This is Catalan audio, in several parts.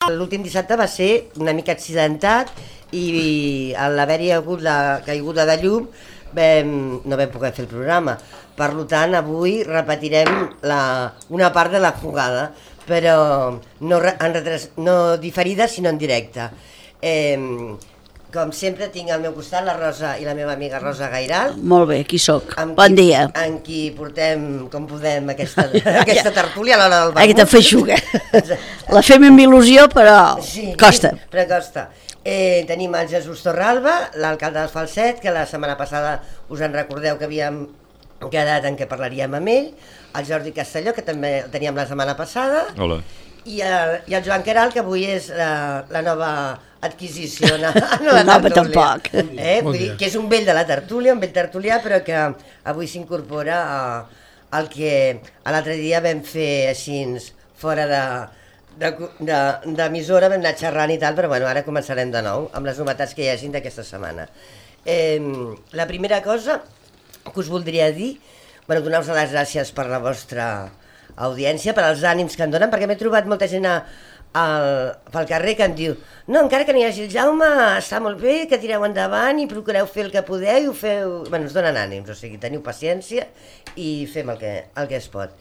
L'últim dissabte va ser una mica accidentat i a l'haver-hi hagut la caiguda de llum no vam poder fer el programa. Per tant, avui repetirem una part de la jugada, però no diferida, sinó en directe. Com sempre tinc al meu costat la Rosa i la meva amiga Rosa Gairal. Molt bé, aquí soc. Bon dia. En qui portem, com podem, aquesta tertúlia a l'hora del vermut. Aquesta feixuga. La fem amb il·lusió, però costa. Sí, però costa. Tenim el Jesús Torralba, l'alcalde del Falset, que la setmana passada us en recordeu que havíem quedat en què parlaríem amb ell, el Jordi Castelló, que també el teníem la setmana passada. Hola. I el Joan Queralt, que avui és la nova adquisició no nova tampoc. Vull dir que és un vell de la tertúlia, un vell tertulià, però que avui s'incorpora al que l'altre dia vam fer així fora d'emissora, vam anar xerrant i tal, però bueno, ara començarem de nou amb les novetats que hi hagin d'aquesta setmana. La primera cosa que us voldria dir, donar-vos les gràcies per la vostra audiència, per als ànims que em donen, perquè m'he trobat molta gent pel carrer que em diu no, encara que no hi hagi el Jaume, està molt bé, que tireu endavant i procureu fer el que podeu i ho feu... Ens donen ànims, o sigui, teniu paciència i fem el que es pot.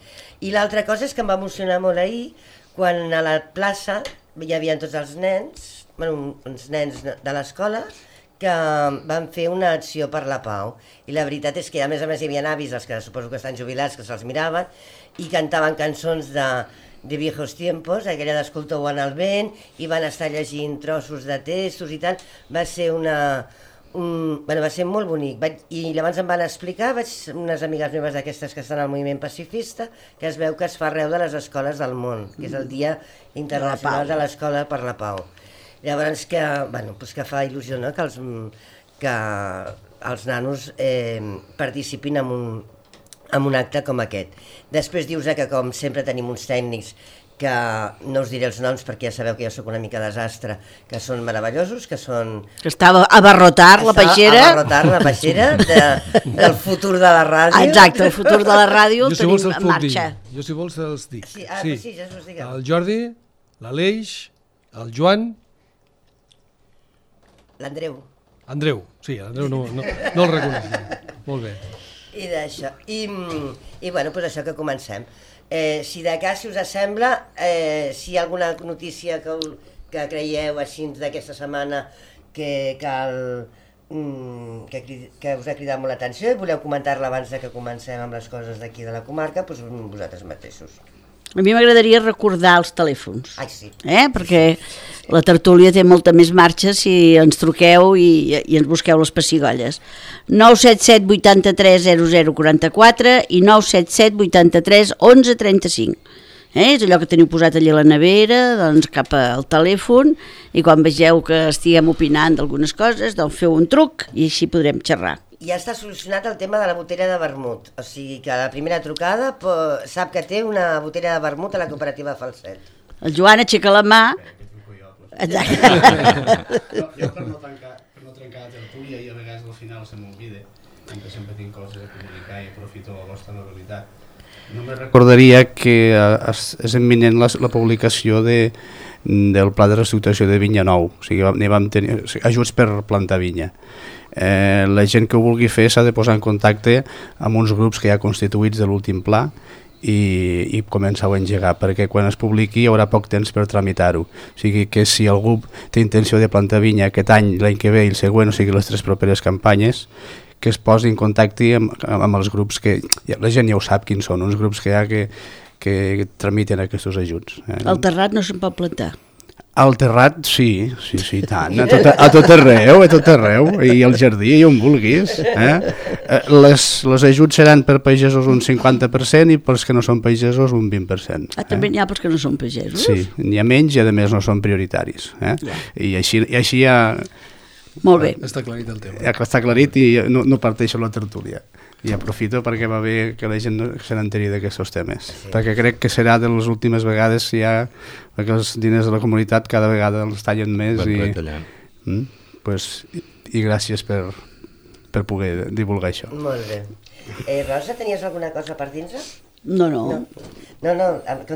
I l'altra cosa és que em va emocionar molt ahir quan a la plaça hi havia tots els nens, uns nens de l'escola, que van fer una acció per la pau. I la veritat és que a més hi havia avis, els que suposo que estan jubilats, que se'ls miraven, i cantaven cançons de viejos tiempos, aquella d'Escolteu en el vent, i van estar llegint trossos de textos i tal. Va ser va ser molt bonic. I llavors em van explicar, unes amigues meves d'aquestes que estan al moviment pacifista, que es veu que es fa arreu de les escoles del món, que és el Dia Internacional de l'Escola per la Pau. Llavors que fa il·lusió, no?, que els nanos participin en un acte com aquest. Després dius que com sempre tenim uns tècnics que no us diré els noms perquè ja sabeu que jo sóc una mica desastre, que són meravellosos, que són... Que estava a abarrotar la peixera del futur de la ràdio. Exacte, el futur de la ràdio el tenim en marxa. Jo si vols els dic. Sí, Jesús, digue'm. El Jordi, l'Aleix, el Joan... L'Andreu. Andreu, sí, l'Andreu no el reconeixem. Molt bé. I d'això. I doncs això, que comencem. Si de cas, si us sembla, si hi ha alguna notícia que creieu així d'aquesta setmana que cal... que us ha cridat molt l'atenció i voleu comentar-la abans que comencem amb les coses d'aquí de la comarca, doncs vosaltres mateixos. A mi m'agradaria recordar els telèfons, sí. Perquè la tertúlia té molta més marxa si ens truqueu i ens busqueu les pessigolles. 977 83 0044 i 977 83 11 35. És allò que teniu posat allà a la nevera, doncs cap al telèfon, i quan vegeu que estiguem opinant d'algunes coses, doncs feu un truc i així podrem xerrar. Ja està solucionat el tema de la botella de vermut, o sigui que la primera trucada sap que té una botella de vermut a la cooperativa Falset. El Joan aixeca la mà. Exacte. Jo per no trencar la tertúlia i a vegades al final se m'olvida, que sempre tinc coses a comunicar i aprofito la vostra normalitat. Només recordaria que és imminent la publicació del pla de reestructuració de Vinya Nou, o sigui, vam tenir ajuts per plantar vinya. La gent que ho vulgui fer s'ha de posar en contacte amb uns grups que hi ha constituïts de l'últim pla i començar a engegar, perquè quan es publiqui hi haurà poc temps per tramitar-ho. O sigui que si algú té intenció de plantar vinya aquest any, l'any que ve i el següent, o sigui les 3 properes campanyes, que es posi en contacte amb els grups que... La gent ja ho sap quins són, uns grups que hi ha que tramiten aquests ajuts. El terrat no se'n pot plantar. Al terrat, sí, tant, a tot arreu, i al jardí, i on vulguis. Les ajuts seran per pagesos un 50% i pels que no són pagesos un 20%. També n'hi ha pels que no són pagesos? Sí, n'hi ha menys i a més no són prioritaris. I així ja... Molt bé. Està aclarit el tema. Ja està aclarit i no parteixo la tertúlia. I aprofito perquè va bé que la gent se n'enteri d'aquests temes, perquè crec que serà de les últimes vegades si hi ha que els diners de la comunitat cada vegada els tallen més i gràcies per poder divulgar això. Molt bé. Rosa, tenies alguna cosa per dir-nos? No. No,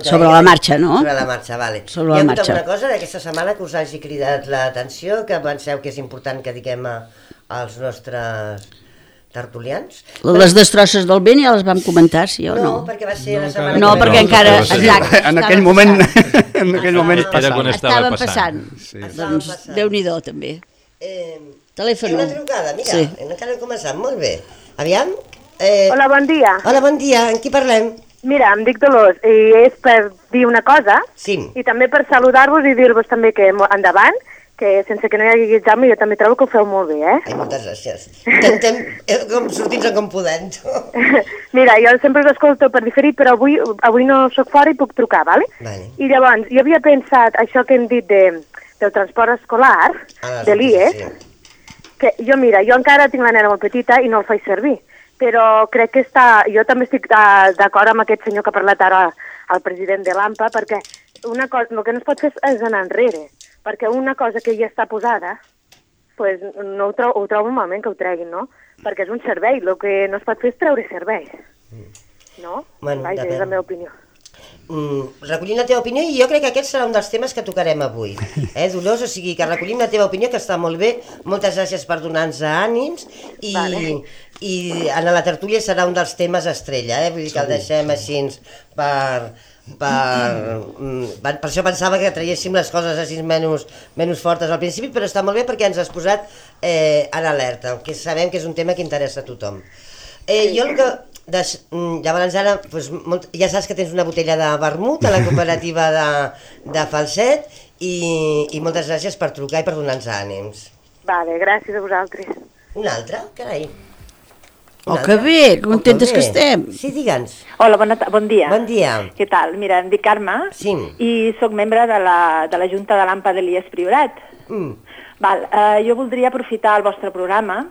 Sobre la marxa, no? Sobre la marxa, vale. Sobre la marxa. Hi ha alguna cosa d'aquesta setmana que us hagi cridat l'atenció, que penseu que és important que diguem als nostres tertulians? Les destrosses del vent ja les vam comentar, sí o no? No, perquè va ser la setmana No, que ve. perquè encara... no, Exacte, En aquell moment Era quan estaven passant. Sí. Doncs Déu-n'hi-do, també. Telèfon. Una trucada, mira, Sí. encara hem començat, molt bé. Aviam. Hola, bon dia. Hola, bon dia, amb qui parlem? Mira, em dic Dolors i és per dir una cosa Sí. i també per saludar-vos i dir-vos també que endavant, que sense que no hi hagi examen jo també trobo que ho feu molt bé, Ai, moltes gràcies. Intentem sortir-nos com podem. Mira, jo sempre us escolto per diferit, però avui no sóc fora i puc trucar, ¿vale? Vale. I llavors, jo havia pensat això que hem dit del transport escolar, de l'IES, que jo encara tinc la nena molt petita i no el faig servir, però crec que jo també estic d'acord amb aquest senyor que ha parlat ara, el president de l'AMPA, perquè una cosa, el que no es pot fer és anar enrere, perquè una cosa que ja està posada, pues, no ho trobo malament que ho treguin, no? Perquè és un servei, el que no es pot fer és treure serveis, no? Bueno, Vaja, és la meva opinió. Recollim la teva opinió i jo crec que aquest serà un dels temes que tocarem avui, Dolors, o sigui que recollim la teva opinió, que està molt bé, moltes gràcies per donar-nos ànims i, Vale. i en la tertúlia serà un dels temes estrella, vull dir que el deixem així per això pensava que traiéssim les coses així menys fortes al principi, però està molt bé perquè ens has posat en alerta, que sabem que és un tema que interessa a tothom. Jo el que... Llavors ara ja saps que tens una botella de vermut a la cooperativa de Falset i moltes gràcies per trucar i per donar-nos ànims. Vale, gràcies a vosaltres. Una altra? Carai. Que bé, contentes que estem. Sí, digue'ns. Hola, bon dia. Bon dia. Què tal? Mira, em dic Carme Sí. i sóc membre de la Junta de l'AMPA de l'IES Priorat. Jo voldria aprofitar el vostre programa,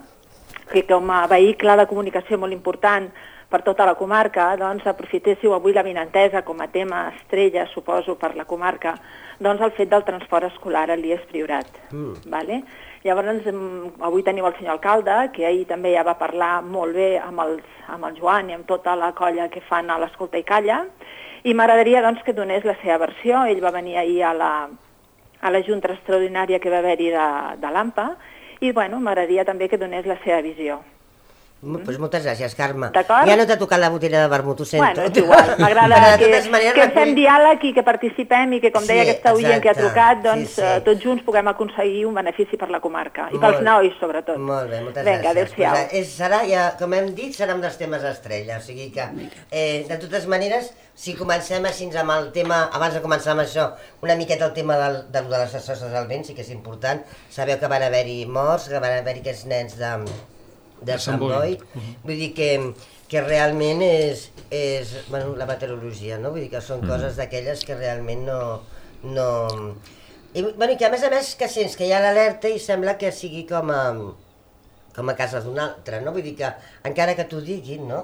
que com a vehicle de comunicació molt important per tota la comarca, doncs aprofitéssiu avui la vinentesa com a tema estrella, suposo, per la comarca, doncs el fet del transport escolar a l'IES Priorat. Vale? Llavors, avui teniu el senyor alcalde, que ahir també ja va parlar molt bé amb el Joan i amb tota la colla que fan a l'Escolta i Calla, i m'agradaria doncs, que donés la seva versió. Ell va venir ahir a la junta extraordinària que va haver-hi de l'AMPA, i bueno, m'agradaria també que donés la seva visió. Pues moltes gràcies, Carme. D'acord? Ja no t'ha tocat la botella de vermut, ho sento. Bueno, és igual, m'agrada que fem diàleg i que participem i que, com deia aquesta oient que ha trucat, doncs tots junts puguem aconseguir un benefici per la comarca i pels nois, sobretot. Molt bé, moltes Vinga, gràcies. adéu-siau. Serà, com hem dit, serà un dels temes estrella, o sigui que, de totes maneres, si comencem així amb el tema, abans de començar amb això, una miqueta el tema de les destrosses del vent, sí que és important. Sabeu que van haver-hi morts, que van haver-hi aquests nens de Sant Boi, vull dir que realment és la meteorologia, no? Vull dir que són coses d'aquelles que realment no... I que a més que sents que hi ha l'alerta i sembla que sigui com a casa d'un altre, no? Vull dir que encara que t'ho diguin, no?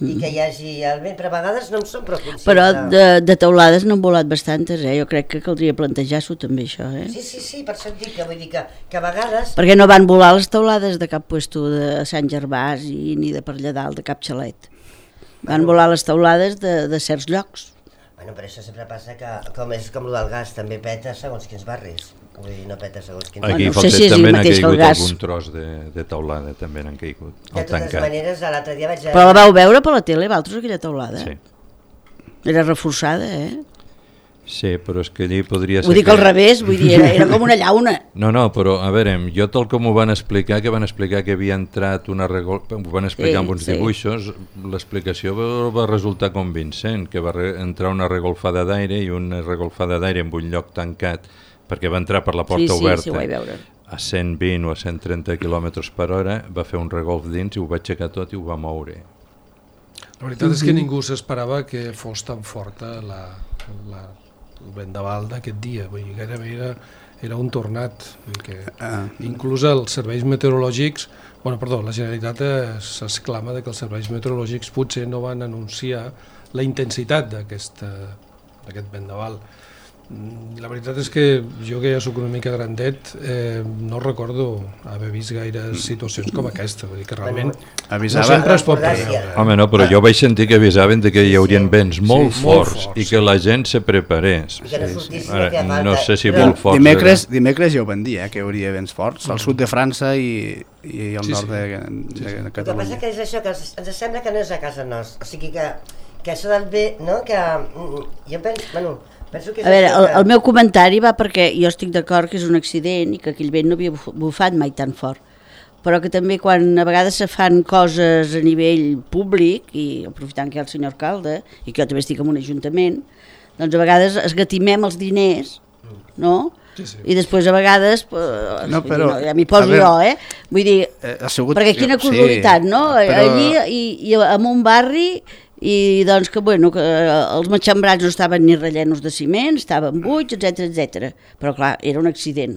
I que hi hagi el vent, però a vegades no en som prou conscients. Però de teulades n'han volat bastantes, Jo crec que caldria plantejar-s'ho també, això, Sí, per això et dic que vull dir que a vegades... Perquè no van volar les teulades de cap puesto de Sant Gervàs i ni de per allà dalt, de cap xalet. Van volar les teulades de certs llocs. Bueno, però això sempre passa que, com és com el del gas, també peta segons quins barris. Vull dir, no peta segons quins barris. Aquí no sé si és el també n'ha mateix que el caigut gas. algun tros de teulada, també n'han caigut. De totes maneres, l'altre dia vaig... Però la vau veure per la tele, vosaltres, aquella teulada? Sí. Era reforçada, Sí, però és que allí podria ser... Vull dir que al revés, vull dir, era com una llauna. No, però a veure, jo tal com ho van explicar, que havia entrat una ho van explicar amb uns dibuixos, l'explicació va resultar convincent, que va entrar una regolfada d'aire i una regolfada d'aire en un lloc tancat, perquè va entrar per la porta oberta. Sí, ho vaig veure. A 120 o a 130 km per hora, va fer un regolf dins i ho va aixecar tot i ho va moure. La veritat és que ningú s'esperava que fos tan forta el vendaval d'aquest dia, vull dir, gairebé era un tornat, vull dir que inclús els serveis meteorològics, la Generalitat s'exclama que els serveis meteorològics potser no van anunciar la intensitat d'aquest vendaval. La veritat és que jo, que ja soc una mica grandet, no recordo haver vist gaires situacions com aquesta, vull dir que realment no sempre es pot preveure. Home, no, però jo vaig sentir que avisaven que hi haurien vents molt forts i que la gent se preparés. No sé si molt forts. Dimecres ja ho van dir, que hi hauria vents forts, al sud de França i al nord de Catalunya. El que passa que és això, que ens sembla que no és a casa nostra, o sigui que això del bé, no? Que jo penso, a veure, el meu comentari va perquè jo estic d'acord que és un accident i que aquell vent no havia bufat mai tan fort, però que també quan a vegades se fan coses a nivell públic, i aprofitant que hi ha el senyor alcalde, i que jo també estic en un ajuntament, doncs a vegades esgatimem els diners, no? Sí, sí. I després a vegades ja m'hi poso jo, vull dir, perquè quina casualitat, no? Allí i en un barri i doncs que els matxembrats no estaven ni rellenos de ciment, estaven buits, etc. Però clar, era un accident.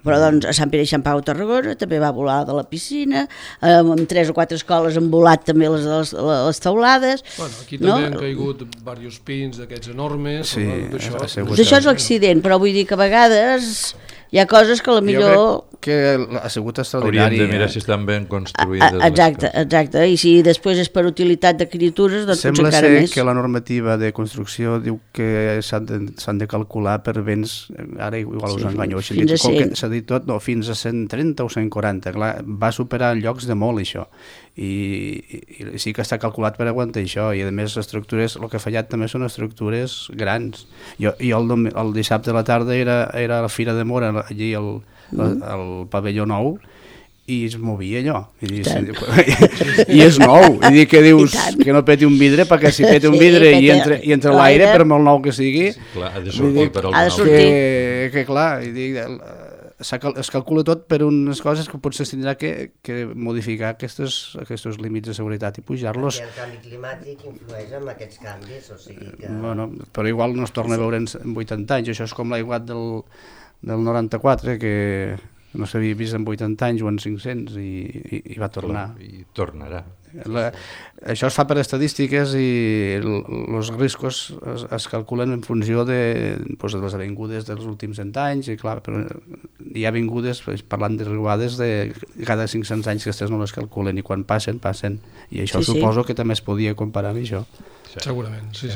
Però doncs a Sant Pere i Sant Pau a Tarragona també va volar de la piscina, amb 3 o 4 escoles han volat també les teulades. Bueno, aquí també han caigut diversos pins d'aquests enormes. Això és l'accident, però vull dir que a vegades hi ha coses que potser... Jo crec que ha sigut extraordinari. Hauríem de mirar si estan ben construïdes. Exacte, i si després és per utilitat de criatures, doncs potser encara més. Sembla ser que la normativa de construcció diu que s'han de calcular per vents, ara igual us enganyo, s'ha dit tot, fins a 130 o 140, clar, va superar llocs de molt això. I sí que està calculat per aguantar això, i a més les estructures, el que ha fallat també són estructures grans. Jo el dissabte a la tarda era a la Fira de Mora, allí al pavelló nou, i es movia allò i és nou, i dir que dius que no peti un vidre, perquè si peti un vidre i entra l'aire, per molt nou que sigui, ha de sortir per al nou, que clar, i dic, es calcula tot per unes coses que potser s'tindrà que modificar aquests límits de seguretat i pujar-los. El canvi climàtic influeix en aquests canvis, o sigui que... Bueno, però igual no es torna a veure en 80 anys, això és com l'aiguat del 94, que no s'havia vist en 80 anys o en 500 i va tornar. I tornarà. Això es fa per estadístiques i els riscos es calculen en funció de les avingudes dels últims 100 anys, i clar, però hi ha avingudes, parlant de riuades, de cada 500 anys que aquestes no les calculen, i quan passen, i això suposo que també es podia comparar amb això. Segurament, sí.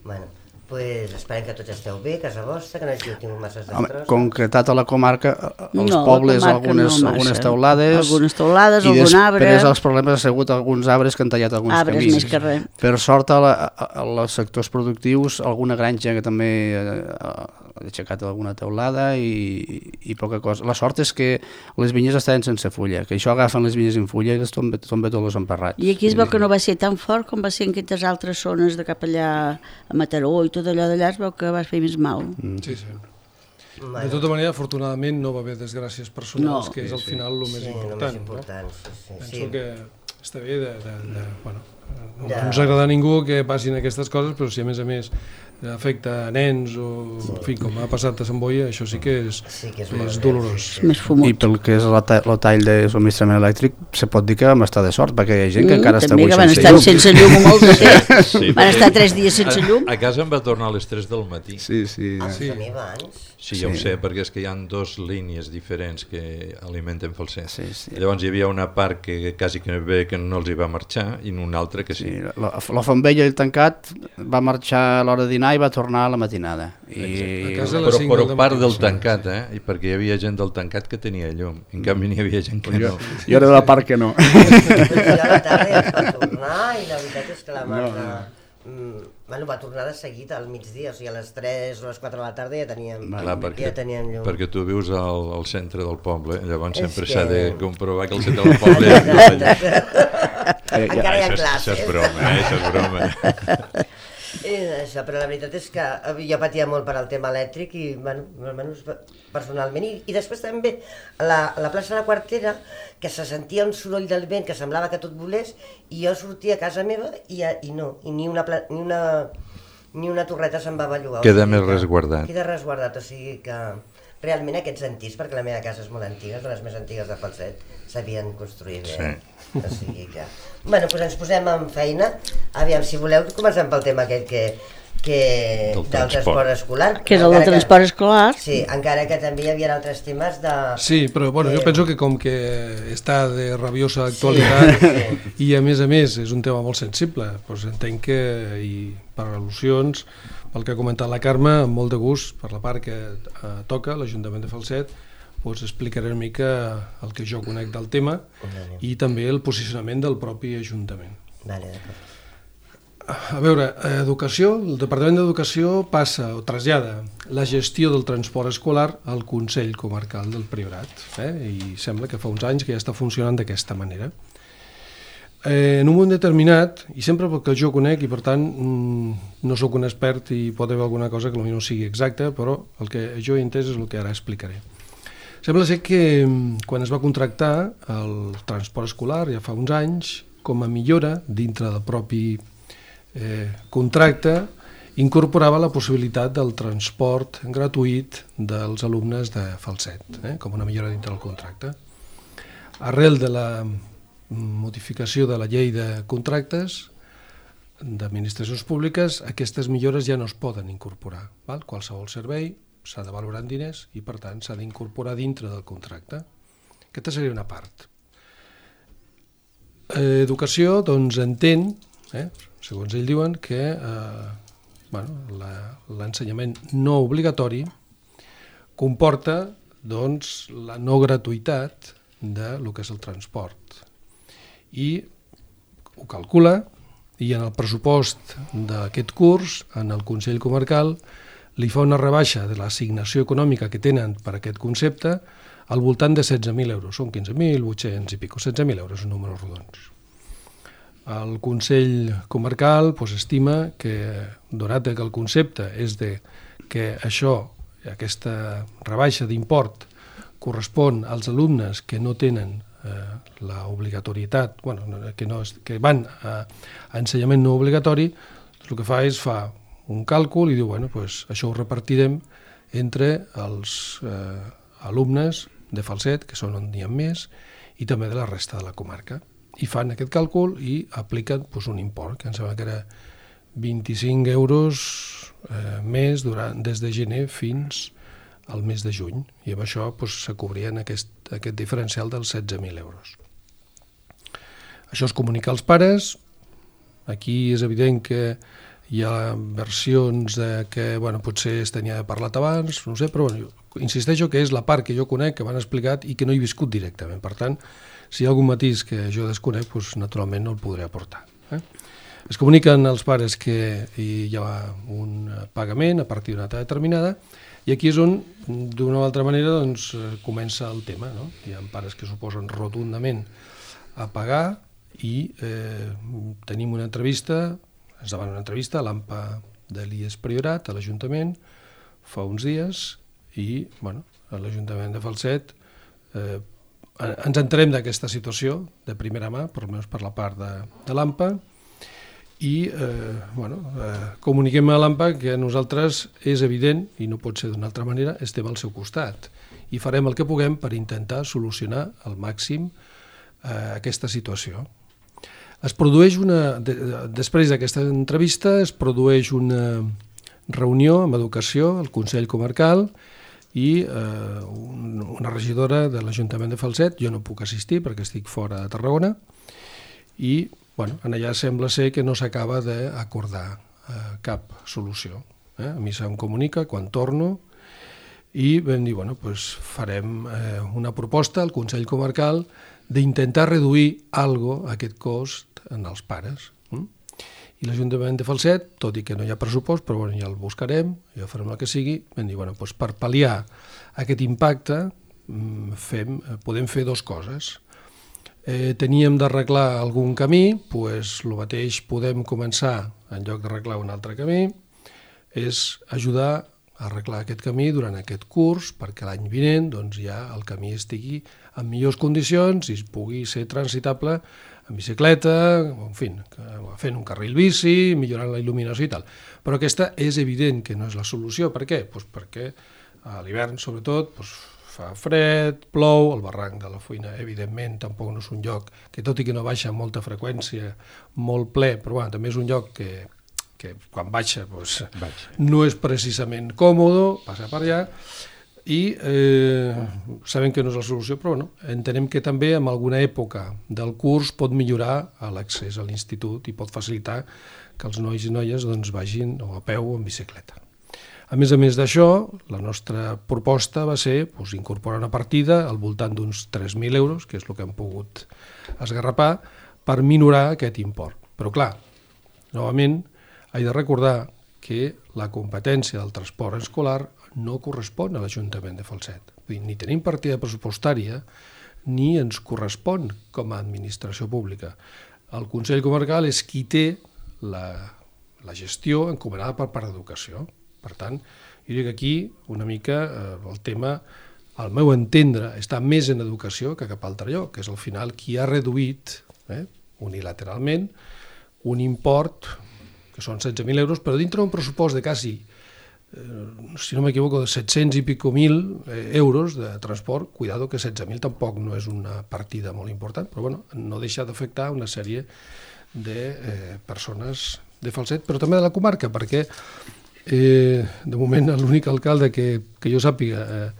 Bueno, pues esperem que tots esteu bé, casa vostra, que no hagi tingut masses destrosses. Concretat a la comarca, als pobles, algunes teulades, algun arbre. I després els problemes ha sigut alguns arbres que han tallat alguns camins. Més que res. Per sort, als sectors productius, alguna granja que també ha aixecat alguna teulada i poca cosa. La sort és que les vinyes estaven sense fulla, que això agafen les vinyes en fulla i les tomba tots els emparrats. I aquí es veu que no va ser tan fort com va ser en aquestes altres zones de cap allà a Mataró i tot allò d'allà, es veu que va fer més mal. Sí. De tota manera, afortunadament no va haver desgràcies personals, que és al final el més important. Penso que està bé no ens agrada a ningú que passin aquestes coses, però si a més afecta a nens o en fi, com ha passat a Sant Boi, això sí que és dolorós. I pel que és el tall de subministrament elèctric, se pot dir que vam estar de sort, perquè hi ha gent que encara està avui sense llum. Sense llum molt de temps. Van estar 3 dies sense llum. A casa em va tornar a les 3 del matí. Sí. Sí, ja ho sé, perquè és que hi ha 2 línies diferents que alimenten falsers. Llavors hi havia una part que quasi que bé que no els hi va marxar i una altra que sí. La Fontbella i el tancat va marxar a l'hora de dinar i va tornar a la matinada. Però part del tancat, perquè hi havia gent del tancat que tenia llum, en canvi n'hi havia gent que no. Jo era de la part que no. Jo a la tarda ja es va tornar i la veritat és que la Marta... va tornar de seguit al migdia, o sigui a les 3 o les 4 de la tarda ja teníem llum. Perquè tu vius al centre del poble, llavors sempre s'ha de comprovar que al centre del poble... Encara hi ha classes. Això és broma. Això, però la veritat és que jo patia molt per al tema elèctric i, almenys personalment, i després també a la plaça de la Quartera, que se sentia un soroll del vent que semblava que tot volés, i jo sortia a casa meva i no, i ni una torreta se'n va bellugar. Queda més resguardat. Queda resguardat, o sigui que realment aquests antics, perquè la meva casa és molt antiga, de les més antigues de Falset, s'havien construït bé. O sigui que... Bueno, doncs ens posem en feina. Aviam, si voleu, comencem pel tema aquest que del transport escolar. Que és el del transport escolar. Sí, encara que també hi havia altres temes de... Sí, però bueno, jo penso que com que està de rabiosa actualitat i a més és un tema molt sensible, doncs entenc que per al·lusions, pel que ha comentat la Carme, amb molt de gust, per la part que toca l'Ajuntament de Falset, doncs explicaré una mica el que jo conec del tema i també el posicionament del propi Ajuntament. Vale, d'acord. A veure, educació, el Departament d'Educació passa o trasllada la gestió del transport escolar al Consell Comarcal del Priorat, i sembla que fa uns anys que ja està funcionant d'aquesta manera. En un moment determinat, i sempre perquè jo conec i per tant no sóc un expert i pot haver alguna cosa que potser no sigui exacta, però el que jo he entès és el que ara explicaré. Sembla ser que quan es va contractar el transport escolar ja fa uns anys, com a millora dintre del propi contracte, incorporava la possibilitat del transport gratuït dels alumnes de Falset, com una millora dintre del contracte. Arrel de la modificació de la llei de contractes d'administracions públiques, aquestes millores ja no es poden incorporar. Qualsevol servei s'ha de valorar en diners i, per tant, s'ha d'incorporar dintre del contracte. Aquesta seria una part. Educació, doncs, entén, segons ell diuen, que l'ensenyament no obligatori comporta doncs, la no gratuïtat del que és el transport. I ho calcula, i en el pressupost d'aquest curs, en el Consell Comarcal, li fa una rebaixa de l'assignació econòmica que tenen per aquest concepte al voltant de 16.000 euros. Són 15.800 i pico, 16.000 euros, números rodons. El Consell Comarcal estima que, donat que el concepte és que aquesta rebaixa d'import correspon als alumnes que no tenen l'obligatorietat, que van a ensenyament no obligatori, el que fa és un càlcul i diu, això ho repartirem entre els alumnes de Falset, que són on n'hi ha més, i també de la resta de la comarca. I fan aquest càlcul i apliquen un import, que em sembla que era 25 euros més des de gener fins al mes de juny, i amb això se cobrien aquest diferencial dels 16.000 euros. Això es comunica als pares. Aquí és evident que hi ha versions que potser es tenia parlat abans, no sé, però insisteixo que és la part que jo conec, que m'han explicat i que no he viscut directament. Per tant, si hi ha algun matís que jo desconec, naturalment no el podré aportar. Es comuniquen als pares que hi ha un pagament a partir d'una data determinada i aquí és on, d'una o altra manera, comença el tema. Hi ha pares que s'oposen rotundament a pagar i tenim una entrevista, ens demanen una entrevista a l'AMPA de l'IES Priorat, a l'Ajuntament, fa uns dies, i a l'Ajuntament de Falset ens enterem d'aquesta situació de primera mà, per almenys per la part de l'AMPA, i comuniquem a l'AMPA que nosaltres és evident, i no pot ser d'una altra manera, estem al seu costat i farem el que puguem per intentar solucionar al màxim aquesta situació. Es produeix després d'aquesta entrevista es produeix una reunió amb educació al Consell Comarcal i una regidora de l'Ajuntament de Falset, jo no puc assistir perquè estic fora de Tarragona, i allà sembla ser que no s'acaba d'acordar cap solució. A mi se'm comunica quan torno i vam dir, farem una proposta al Consell Comarcal d'intentar reduir aquest cost en els pares. I l'Ajuntament de Falset, tot i que no hi ha pressupost, però ja el buscarem, ja farem el que sigui, vam dir, per pal·liar aquest impacte podem fer dues coses. Teníem d'arreglar algun camí, el mateix podem començar, en lloc d'arreglar un altre camí, és ajudar a arreglar aquest camí durant aquest curs perquè l'any vinent ja el camí estigui en millors condicions i es pugui ser transitable en bicicleta, en fi, fent un carril bici, millorant la il·luminació i tal. Però aquesta és evident que no és la solució. Per què? Perquè a l'hivern, sobretot, fa fred, plou, el barranc de la Foïna, evidentment, tampoc no és un lloc que, tot i que no baixa amb molta freqüència, molt ple, però també és un lloc que que quan baixa no és precisament còmode, passa per allà, i sabem que no és la solució, però entenem que també en alguna època del curs pot millorar l'accés a l'institut i pot facilitar que els nois i noies vagin a peu o en bicicleta. A més d'això, la nostra proposta va ser incorporar una partida al voltant d'uns 3.000 euros, que és el que hem pogut esgarrapar, per minorar aquest import. Però clar, novament, he de recordar que la competència del transport escolar no correspon a l'Ajuntament de Falset. Ni tenim partida pressupostària ni ens correspon com a administració pública. El Consell Comarcal és qui té la gestió encomanada per part d'Educació. Per tant, jo dic que aquí una mica el tema, al meu entendre, està més en Educació que cap altre lloc, que és al final qui ha reduït unilateralment un import que són 16.000 euros, però dintre d'un pressupost de quasi, si no m'equivoco, de 700 i pico mil euros de transport. Cuidado que 16.000 tampoc no és una partida molt important, però no deixa d'afectar una sèrie de persones de Falset, però també de la comarca, perquè de moment l'únic alcalde que jo sàpiga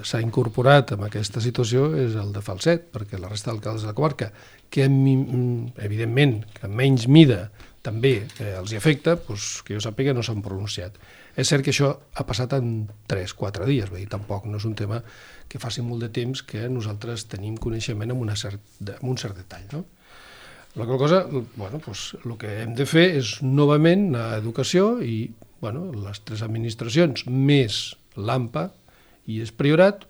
s'ha incorporat en aquesta situació és el de Falset, perquè la resta d'alcaldes de la comarca, que evidentment que en menys mida també els hi afecta, que jo sàpiga no s'han pronunciat. És cert que això ha passat en 3-4 dies, tampoc no és un tema que faci molt de temps que nosaltres tenim coneixement amb un cert detall. La qual cosa, el que hem de fer és novament a Educació i les 3 administracions més l'AMPA i el Priorat,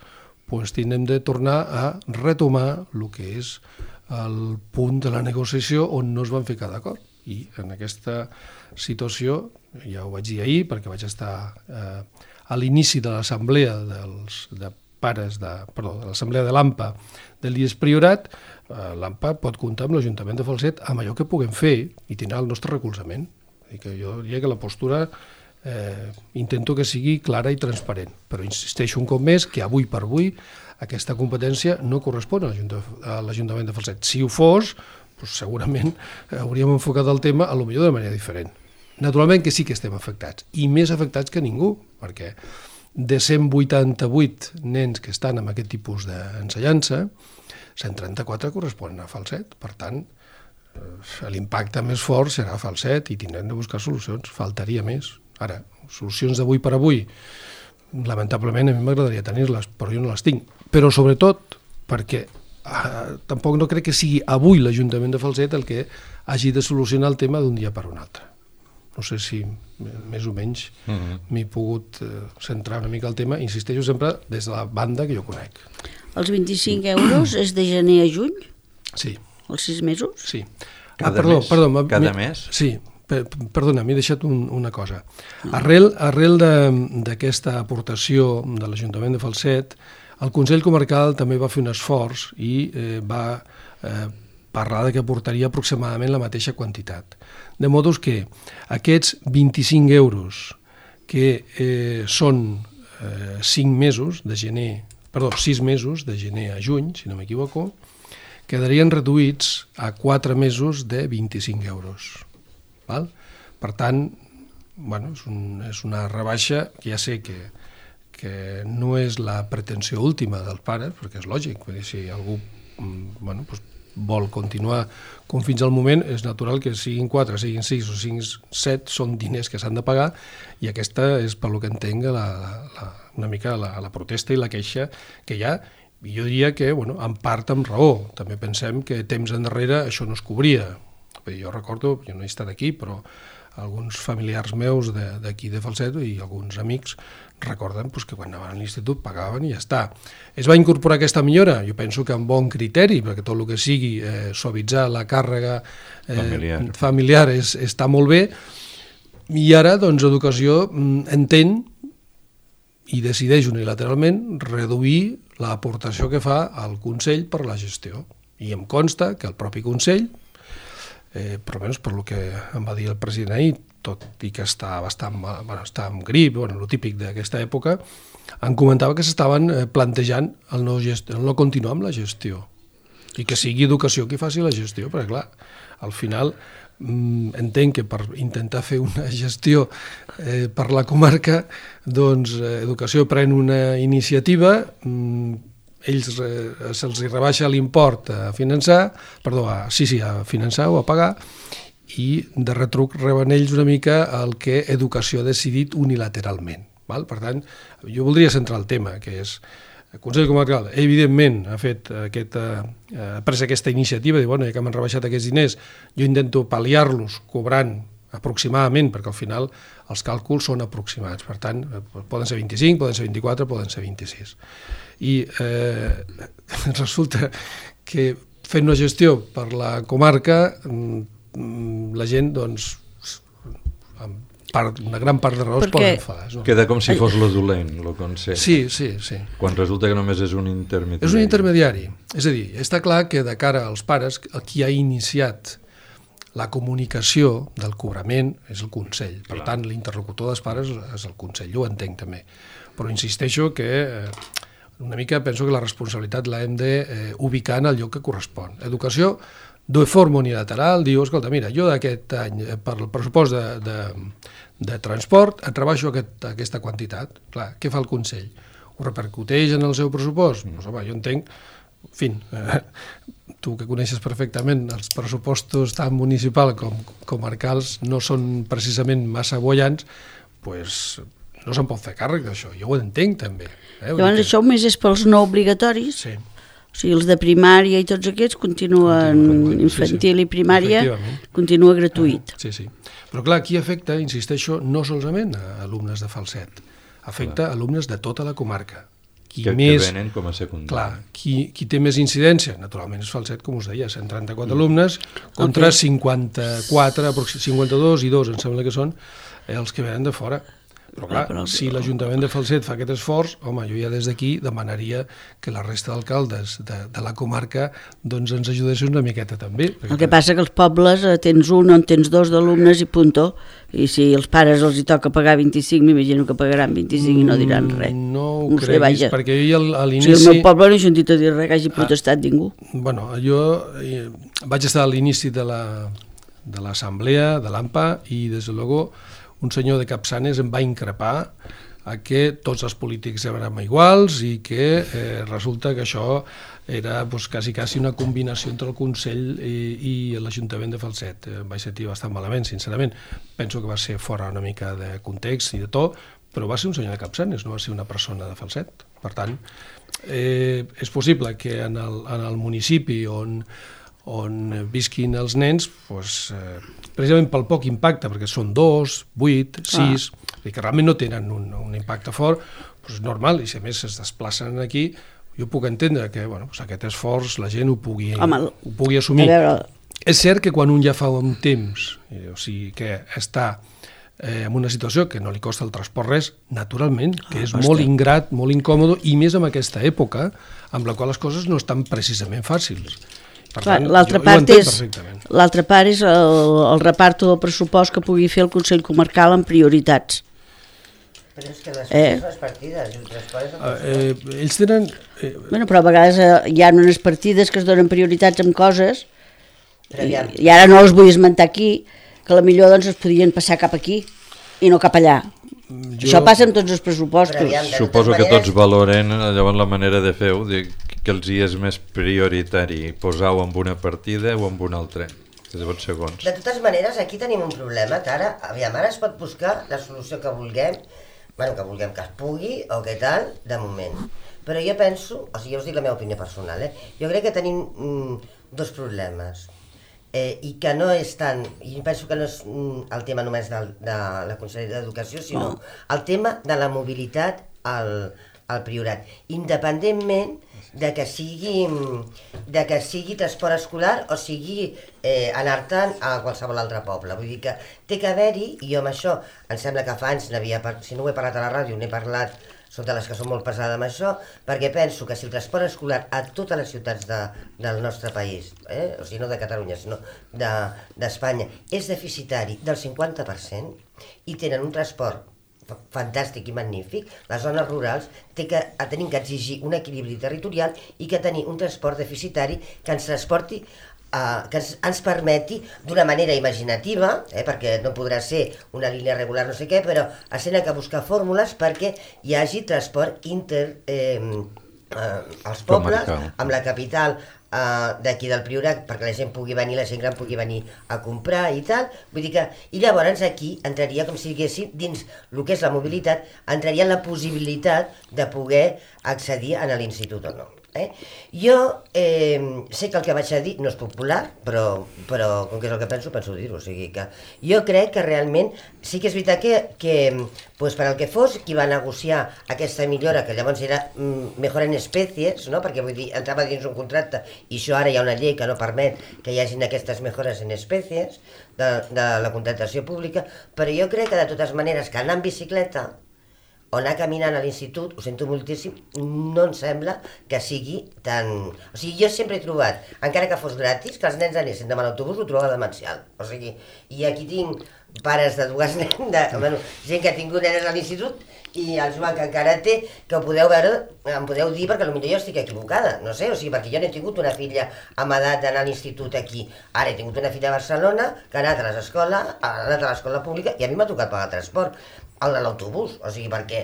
tindrem de tornar a retomar el que és el punt de la negociació on no es van ficar d'acord. I en aquesta situació, ja ho vaig dir ahir, perquè vaig estar a l'inici de l'assemblea de l'assemblea de l'AMPA de l'IES Priorat, l'AMPA pot comptar amb l'Ajuntament de Falset amb allò que puguem fer i tindrà el nostre recolzament. Jo diria que la postura intento que sigui clara i transparent, però insisteixo un cop més que avui per avui aquesta competència no correspon a l'Ajuntament de Falset. Si ho fos, segurament hauríem enfocat el tema potser de manera diferent. Naturalment que sí que estem afectats, i més afectats que ningú, perquè de 188 nens que estan en aquest tipus d'ensenyança, 134 corresponen a Falset. Per tant, l'impacte més fort serà a Falset i tindrem de buscar solucions, faltaria més. Ara, solucions d'avui per avui, lamentablement a mi m'agradaria tenir-les, però jo no les tinc. Però sobretot perquè tampoc no crec que sigui avui l'Ajuntament de Falset el que hagi de solucionar el tema d'un dia per un altre. No sé si més o menys m'he pogut centrar una mica al tema, insisteixo sempre des de la banda que jo conec. Els 25 euros és de gener a juny? Sí. Els 6 mesos? Sí. Cada mes? Sí. Perdona, m'he deixat una cosa. Arrel d'aquesta aportació de l'Ajuntament de Falset, el Consell Comarcal també va fer un esforç i va parlar que aportaria aproximadament la mateixa quantitat. De modos que aquests 25 euros que són 6 mesos de gener a juny, si no m'equivoco, quedarien reduïts a 4 mesos de 25 euros. Val? Per tant, és una rebaixa que ja sé que no és la pretensió última dels pares, perquè és lògic, si algú vol continuar com fins al moment, és natural que siguin 4, siguin 6 o siguin 7, són diners que s'han de pagar, i aquesta és, per lo que entenc, una mica la protesta i la queixa que hi ha. I jo diria que, en part amb raó. També pensem que temps endarrere això no es cobria. Jo recordo, jo no he estat aquí, però alguns familiars meus d'aquí de Falset i alguns amics recorden que quan anaven a l'institut pagaven i ja està. Es va incorporar aquesta millora? Jo penso que amb bon criteri, perquè tot el que sigui suavitzar la càrrega familiar està molt bé, i ara Educació entén i decideix unilateralment reduir l'aportació que fa al Consell per la gestió. I em consta que el propi Consell, per almenys per el que em va dir el president ahir, tot i que està amb grip, el típic d'aquesta època, em comentava que s'estaven plantejant el no continuar amb la gestió i que sigui Educació qui faci la gestió, perquè clar, al final entenc que per intentar fer una gestió per la comarca, doncs Educació pren una iniciativa, ells se'ls rebaixa l'import a finançar, a finançar o a pagar, i de retruc reben ells una mica el que Educació ha decidit unilateralment. Per tant, jo voldria centrar el tema, que és el Consell Comarcal, evidentment, ha pres aquesta iniciativa, de ja que m'han rebaixat aquests diners, jo intento pal·liar-los cobrant aproximadament, perquè al final els càlculs són aproximats, per tant, poden ser 25, poden ser 24, poden ser 26. I resulta que fent una gestió per la comarca, la gent, doncs, una gran part de raons poden enfadar. Queda com si fos lo dolent, lo consell. Sí. Quan resulta que només és un intermediari. És un intermediari. És a dir, està clar que de cara als pares, qui ha iniciat la comunicació del cobrament és el Consell. Per tant, l'interlocutor dels pares és el Consell. Jo ho entenc també. Però insisteixo que una mica penso que la responsabilitat l'hem d'ubicar en el lloc que correspon. Educació, de forma unilateral, diu, escolta, mira, jo d'aquest any, per el pressupost de transport, et rebaixo aquesta quantitat. Clar, què fa el Consell? Ho repercuteix en el seu pressupost? Doncs, home, jo entenc, en fi, tu que coneixes perfectament els pressupostos tant municipals com comarcals no són precisament massa boiants, doncs no se'n pot fer càrrec d'això. Jo ho entenc també. Llavors això només és pels no obligatoris? Sí. O sigui, els de primària i tots aquests continuen infantil i primària, continua gratuït. Sí. Però clar, aquí afecta, insisteixo, no solament a alumnes de falset, afecta a alumnes de tota la comarca. Que venen com a secundari. Clar, qui té més incidència, naturalment és falset, com us deia, 134 alumnes contra 54, 52 i 2, em sembla que són els que venen de fora. Però clar, si l'Ajuntament de Falset fa aquest esforç, home, jo ja des d'aquí demanaria que la resta d'alcaldes de la comarca doncs ens ajudessin una miqueta també. El que passa que als pobles tens un o en tens dos d'alumnes i punto, i si els pares els hi toca pagar 25, m'imagino que pagaran 25 i no diran res. No ho creguis, perquè jo a l'inici... O sigui, el meu poble no he sentit a dir res que hagi protestat ningú. Bueno, jo vaig estar a l'inici de l'assemblea de l'AMPA i, des de luego, un senyor de Capçanes em va increpar a que tots els polítics érem iguals i que resulta que això era quasi una combinació entre el Consell i l'Ajuntament de Falset. Em vaig sentir bastant malament, sincerament. Penso que va ser fora una mica de context i de to, però va ser un senyor de Capçanes, no va ser una persona de Falset. Per tant, és possible que en el municipi on visquin els nens, precisament pel poc impacte, perquè són 2, 8, 6, i que realment no tenen un impacte fort, és normal, i si a més es desplacen aquí, jo puc entendre que aquest esforç la gent ho pugui assumir. És cert que quan un ja fa un temps, o sigui que està en una situació que no li costa el transport res, naturalment, que és molt ingrat, molt incòmode, i més en aquesta època, amb la qual les coses no estan precisament fàcils. L'altra part és el reparto del pressupost que pugui fer el Consell Comarcal en prioritats. Però és que les partides... Ells tenen... Però a vegades hi ha unes partides que es donen prioritats amb coses i ara no les vull esmentar aquí, que potser es podien passar cap aquí i no cap allà. Això passa amb tots els pressupostos. Suposo que tots valoren llavors la manera de fer-ho, que els hi és més prioritari posar-ho en una partida o en una altra. Segons. De totes maneres, aquí tenim un problema que ara es pot buscar la solució que vulguem, que es pugui o que tal, de moment. Però jo penso, jo us dic la meva opinió personal, jo crec que tenim dos problemes. I que no és tant, i penso que no és el tema només de la Conselleria d'Educació, sinó el tema de la mobilitat al Priorat, independentment de que sigui transport escolar o sigui anar-te'n a qualsevol altre poble. Vull dir que té que haver-hi, i jo amb això em sembla que fa anys si no ho he parlat a la ràdio, n'he parlat, són de les que són molt pesades amb això, perquè penso que si el transport escolar a totes les ciutats del nostre país, o sigui, no de Catalunya, sinó d'Espanya, és deficitari del 50% i tenen un transport fantàstic i magnífic, les zones rurals tenim que exigir un equilibri territorial i que tenir un transport deficitari que ens transporti que ens permeti d'una manera imaginativa, perquè no podrà ser una línia regular no sé què, però es tenen que buscar fórmules perquè hi hagi transport als pobles, amb la capital d'aquí del Priorat, perquè la gent pugui venir, la gent gran pugui venir a comprar i tal, vull dir que, i llavors aquí entraria com si diguéssim dins el que és la mobilitat, entraria la possibilitat de poder accedir a l'institut o no. Jo sé que el que vaig a dir no és popular, però com que és el que penso dir-ho, o sigui que jo crec que realment sí que és veritat que per al que fos qui va negociar aquesta millora, que llavors era mejora en espècies, no? Perquè vull dir, entrava dins un contracte i això ara hi ha una llei que no permet que hi hagin aquestes mejores en espècies de la contractació pública, però jo crec que de totes maneres que anar en bicicleta o anar caminant a l'institut, ho sento moltíssim, no em sembla que sigui tan... O sigui, jo sempre he trobat, encara que fos gratis, que els nens anessin demà a l'autobús, ho trobava demencial. O sigui, i aquí tinc pares de dues nens, gent que ha tingut nenes a l'institut, i el Joan que encara té, que ho podeu veure, em podeu dir perquè potser jo estic equivocada, no sé, o sigui, perquè jo no he tingut una filla amb edat d'anar a l'institut aquí. Ara he tingut una filla a Barcelona que ha anat a l'escola pública i a mi m'ha tocat pagar el transport. El de l'autobús, o sigui, perquè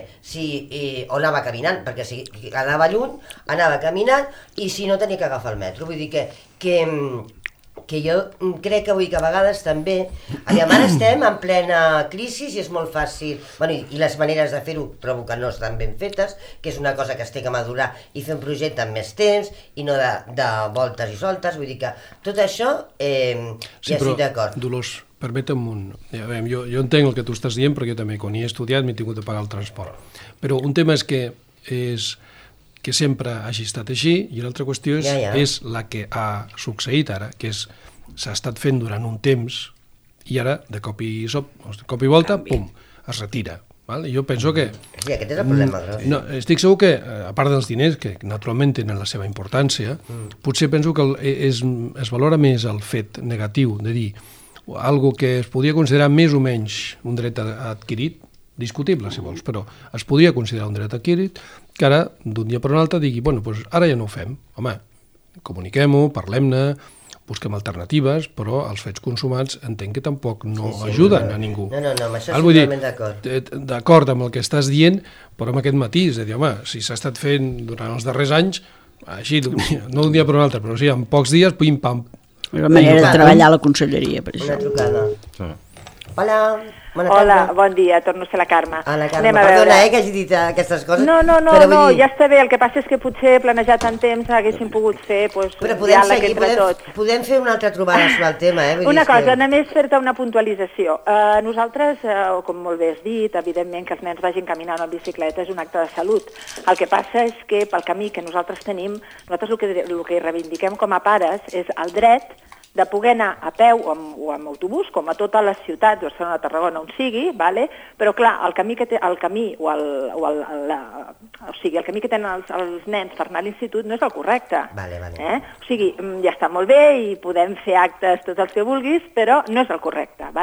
o anava caminant, perquè si anava lluny, anava caminant, i si no tenia que agafar el metro. Vull dir que jo crec que avui que a vegades també, ara estem en plena crisi i és molt fàcil, i les maneres de fer-ho trobo que no estan ben fetes, que és una cosa que es té que madurar i fer un projecte amb més temps i no de voltes i soltes, vull dir que tot això ja estic d'acord. Dolors, permetem jo entenc el que tu estàs dient perquè jo també quan hi he estudiat m'he tingut de pagar el transport, però un tema és que sempre hagi estat així i l'altra qüestió és la que ha succeït ara, que s'ha estat fent durant un temps i ara de cop i volta, pum, es retira. Jo penso que... Sí, aquest és el problema. No, estic segur que, a part dels diners, que naturalment tenen la seva importància, potser penso que es valora més el fet negatiu de dir algo que es podia considerar més o menys un dret adquirit, discutible si vols, però es podia considerar un dret adquirit, que ara d'un dia per un altre digui, bueno, doncs ara ja no ho fem. Home, comuniquem-ho, parlem-ne, busquem alternatives, però els fets consumats entenc que tampoc no ajuden a ningú. No, amb això estic totalment d'acord. D'acord amb el que estàs dient, però amb aquest matís, de dir, home, si s'ha estat fent durant els darrers anys, així, no d'un dia per un altre, però sí, en pocs dies, pim-pam. La manera de treballar a la conselleria, per això. Una trucada. Hola, bona tarda. Hola, bon dia, torno a ser la Carme. La Carme, perdona que hagi dit aquestes coses. No, ja està bé, el que passa és que potser planejat en temps haguéssim pogut fer diàleg entre tots. Podem fer una altra trobada sobre el tema, Una cosa, només fer-te una puntualització. Nosaltres, com molt bé has dit, evidentment que els nens vagin caminant en bicicleta és un acte de salut. El que passa és que pel camí que nosaltres tenim, nosaltres el que reivindiquem com a pares és el dret de poder anar a peu o amb autobús, com a totes les ciutats, Barcelona, Tarragona, on sigui, però clar, el camí que tenen els nens per anar a l'institut no és el correcte. O sigui, ja està molt bé i podem fer actes tots els que vulguis, però no és el correcte.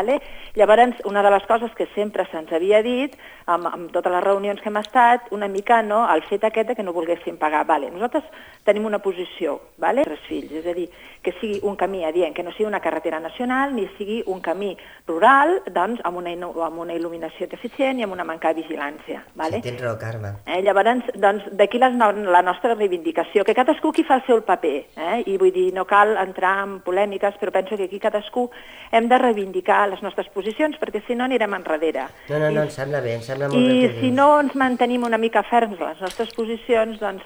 Llavors, una de les coses que sempre se'ns havia dit, amb totes les reunions que hem estat, una mica el fet aquest que no volguéssim pagar. Nosaltres tenim una posició, 3 fills, és a dir, que sigui un camí adient, que no sigui una carretera nacional ni sigui un camí rural, doncs amb una il·luminació deficient i amb una manca de vigilància. Sí, tens raó, Carme. Llavors, d'aquí la nostra reivindicació, que cadascú qui fa el seu paper, i vull dir, no cal entrar en polèmiques, però penso que aquí cadascú hem de reivindicar les nostres posicions, perquè si no anirem enrere. No, em sembla bé, em sembla molt bé. I si no ens mantenim una mica ferms les nostres posicions, doncs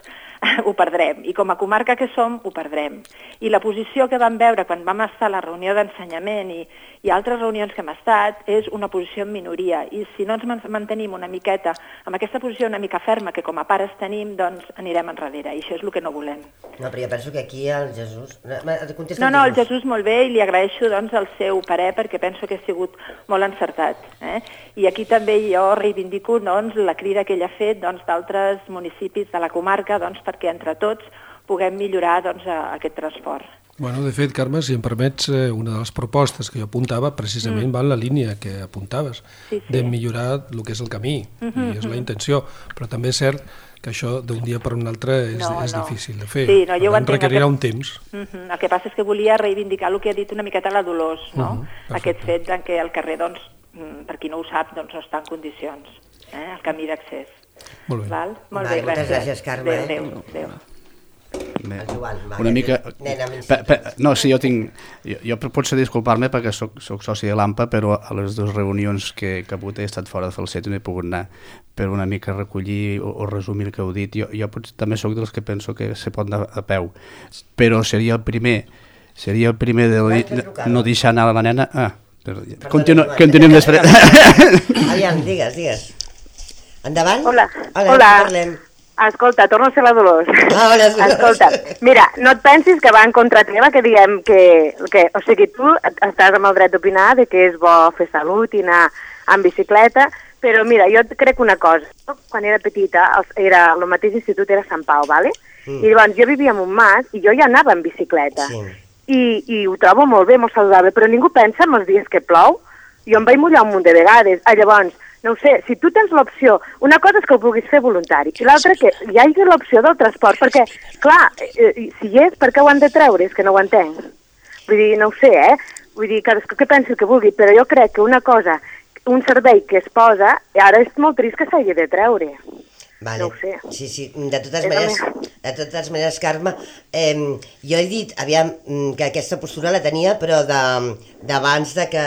ho perdrem, i com a comarca que som, ho perdrem. I la posició que vam veure quan vam estar a la reunió d'ensenyament i altres reunions que hem estat és una posició en minoria, i si no ens mantenim una miqueta amb aquesta posició una mica ferma que com a pares tenim, doncs anirem enrere, i això és el que no volem. No, però jo penso que aquí el Jesús... No, el Jesús molt bé, i li agraeixo doncs el seu parer, perquè penso que ha sigut molt encertat. I aquí també jo reivindico la crida que ell ha fet d'altres municipis de la comarca perquè entre tots puguem millorar aquest transport. Bueno, de fet, Carme, si em permets, una de les propostes que jo apuntava precisament va en la línia que apuntaves, de millorar el que és el camí, i és la intenció, però també és cert que això d'un dia per un altre és difícil de fer. Sí, no, jo ho entenc. Requerirà un temps. El que passa és que volia reivindicar el que ha dit una miqueta la Dolors, no? Aquest fet que el carrer, doncs, per qui no ho sap, doncs no està en condicions, el camí d'accés. Molt bé. Molt bé, moltes gràcies, Carme. Adéu. Una mica... No, sí, jo potser disculpar-me perquè soc soci de l'AMPA, però a les dues reunions que he hagut he estat fora de Falset i no he pogut anar, per una mica recollir o resumir el que heu dit. Jo també sóc dels que penso que se pot anar a peu, però seria el primer de no deixar anar la nena... Continuem després. Aviam, digues. Endavant? Hola. Parlem. Escolta, torno a ser la Dolors. Hola. Escolta, mira, no et pensis que va en contra teva que diguem que... O sigui, tu estàs amb el dret d'opinar de que és bo fer salut i anar en bicicleta, però mira, jo crec una cosa. Quan era petita, el mateix institut era Sant Pau, ¿vale? I llavors jo vivia en un mas i jo ja anava en bicicleta. I ho trobo molt bé, molt saludable, però ningú pensa en els dies que plou. Jo em vaig mullar un munt de vegades. Llavors, no ho sé, si tu tens l'opció, una cosa és que ho vulguis fer voluntari, i l'altra que hi hagi l'opció del transport, perquè, clar, si hi és, per què ho han de treure? És que no ho entenc. Vull dir, no ho sé, Vull dir, cadascú que pensi el que vulgui, però jo crec que una cosa, un servei que es posa, ara és molt trist que s'hagi de treure. Vale. No ho sé. Sí, de totes maneres, Carme, jo he dit, aviam, que aquesta postura la tenia, però d'abans que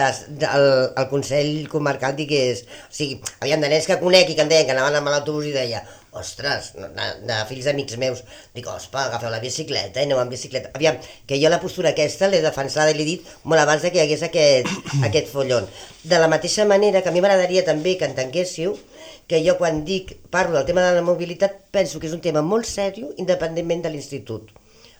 el Consell Comarcal digués, o sigui, aviam, de nens que conec i que em deien que anaven amb l'autobús i deia, ostres, de fills d'amics meus, dic, ospa, agafeu la bicicleta i aneu amb bicicleta. Aviam, que jo la postura aquesta l'he defensada i l'he dit molt abans que hi hagués aquest follon. De la mateixa manera que a mi m'agradaria també que entenguéssiu que jo quan parlo del tema de la mobilitat penso que és un tema molt seriós independentment de l'institut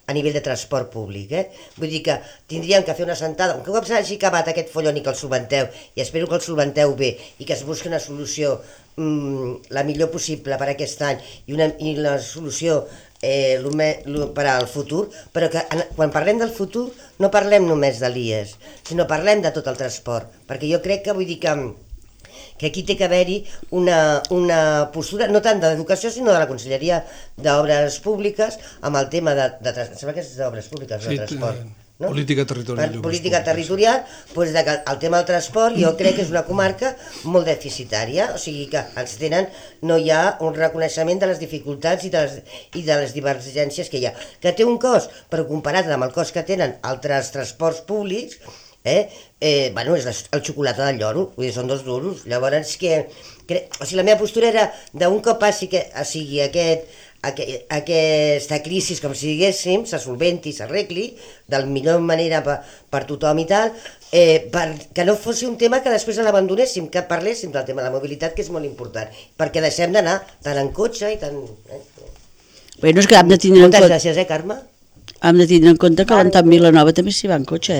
a nivell de transport públic. Vull dir que tindríem que fer una sentada, un cop s'hagi acabat aquest follon i que el solventeu, i espero que el solventeu bé i que es busqui una solució la millor possible per aquest any i la solució per al futur, però que quan parlem del futur no parlem només de l'IES, sinó parlem de tot el transport, perquè jo crec que vull dir que aquí té que haver-hi una postura, no tant de l'educació, sinó de la Conselleria d'Obres Públiques, amb el tema sembla que és d'Obres Públiques, de transport. No? Política territorial. Política territorial, doncs el tema del transport jo crec que és una comarca molt deficitària, o sigui que no hi ha un reconeixement de les dificultats i de les divergències que hi ha. Que té un cost, però comparat amb el cost que tenen altres transports públics, és el xocolata del lloro, vull dir, són 2 duros. Llavors, la meva postura era d'un cop passi aquesta crisi, com si diguéssim, se solventi, s'arregli de la millor manera per tothom i tal, que no fos un tema que després l'abandonéssim, que parléssim del tema de la mobilitat, que és molt important, perquè deixem d'anar tant en cotxe i tant... Bueno, és que hem de tindre en compte... Moltes gràcies, Carme? Hem de tindre en compte que l'Anton Vilanova també s'hi va en cotxe,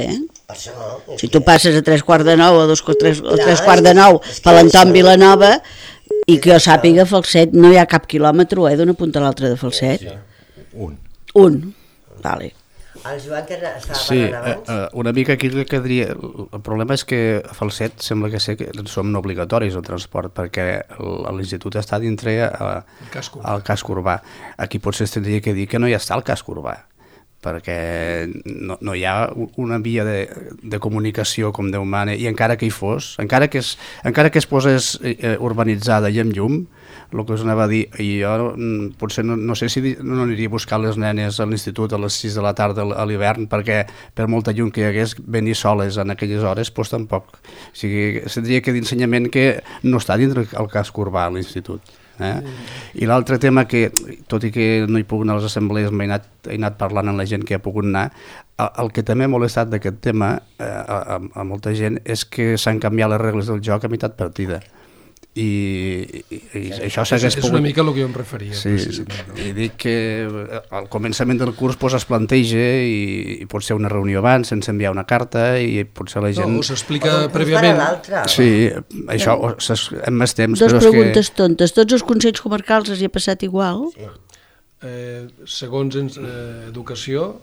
Per això, si tu passes a 3:45 o 3:45 per l'Anton Vilanova, i que jo sàpiga, Falset no hi ha cap quilòmetre d'una punta a l'altra de Falset. Un. Vale. El Joan que estava parlant abans? Una mica aquí el que diria, el problema és que a Falset sembla que som no obligatoris el transport, perquè l'institut està dintre al casc urbà. Aquí potser es tindria que dir que no hi està el casc urbà, perquè no hi ha una via de comunicació com Déu mana, i encara que hi fos, encara que es posés urbanitzada i amb llum, el que us anava a dir, i jo potser no sé si no aniria a buscar les nenes a l'institut a les 6 de la tarda a l'hivern, perquè per molta llum que hi hagués, venir soles en aquelles hores, doncs tampoc. O sigui, seria que d'ensenyament que no està dintre el casc urbà a l'institut. I l'altre tema que, tot i que no hi puc anar a les assemblees, he anat parlant amb la gent que ha pogut anar, el que també ha molestat d'aquest tema a molta gent és que s'han canviat les regles del joc a meitat partida. I això s'hagués pogut... És una mica el que jo em referia. Sí, i dic que al començament del curs es planteja i pot ser una reunió abans sense enviar una carta i potser la gent... No, s'explica prèviament. Sí, això en més temps. Dos preguntes tontes. Tots els consells comarcals els hi ha passat igual? Segons educació,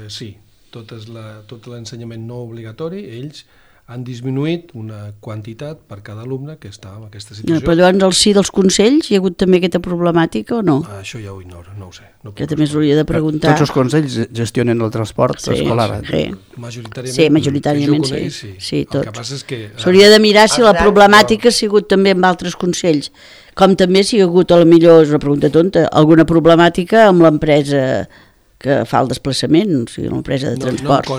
sí. tot l'ensenyament no obligatori, ells han disminuït una quantitat per cada alumne que està en aquesta situació. Però llavors al si dels consells hi ha hagut també aquesta problemàtica o no? Això ja ho ignoro, no ho sé. Que també s'hauria de preguntar. Tots els consells gestionen el transport escolar. Sí, majoritàriament sí. Sí, tot. El que passa és que... S'hauria de mirar si la problemàtica ha sigut també amb altres consells, com també si hi ha hagut, a la millor, és una pregunta tonta, alguna problemàtica amb l'empresa que fa el desplaçament, o sigui, l'empresa de transport.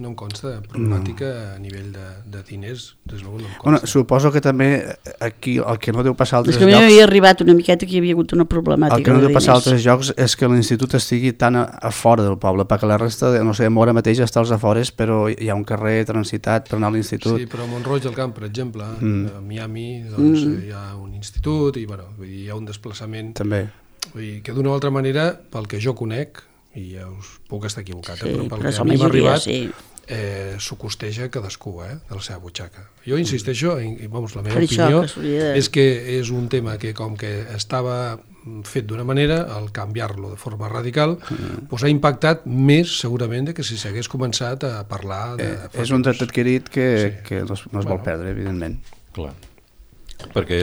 No em consta problemàtica a nivell de diners, des no em consta. Bueno, suposo que també aquí el que no deu passar a altres llocs... És que a mi m'havia arribat una miqueta que hi havia hagut una problemàtica. El que no deu passar a altres llocs és que l'institut estigui tan a fora del poble, perquè la resta, no sé, Móra mateix està als afores, però hi ha un carrer transitat per anar a l'institut. Sí, però a Mont-roig del Camp, per exemple, a Miami, doncs, hi ha un institut i hi ha un desplaçament... També. Vull dir que d'una o altra manera, pel que jo conec, i ja us puc estar equivocat, però pel que a mi m'ha arribat, s'ho costeja cadascú, de la seva butxaca. Jo insisteixo, la meva opinió és que és un tema que com que estava fet d'una manera, al canviar-lo de forma radical, ha impactat més segurament que si s'hagués començat a parlar de... És un dret adquirit que no es vol perdre, evidentment. Clar. Perquè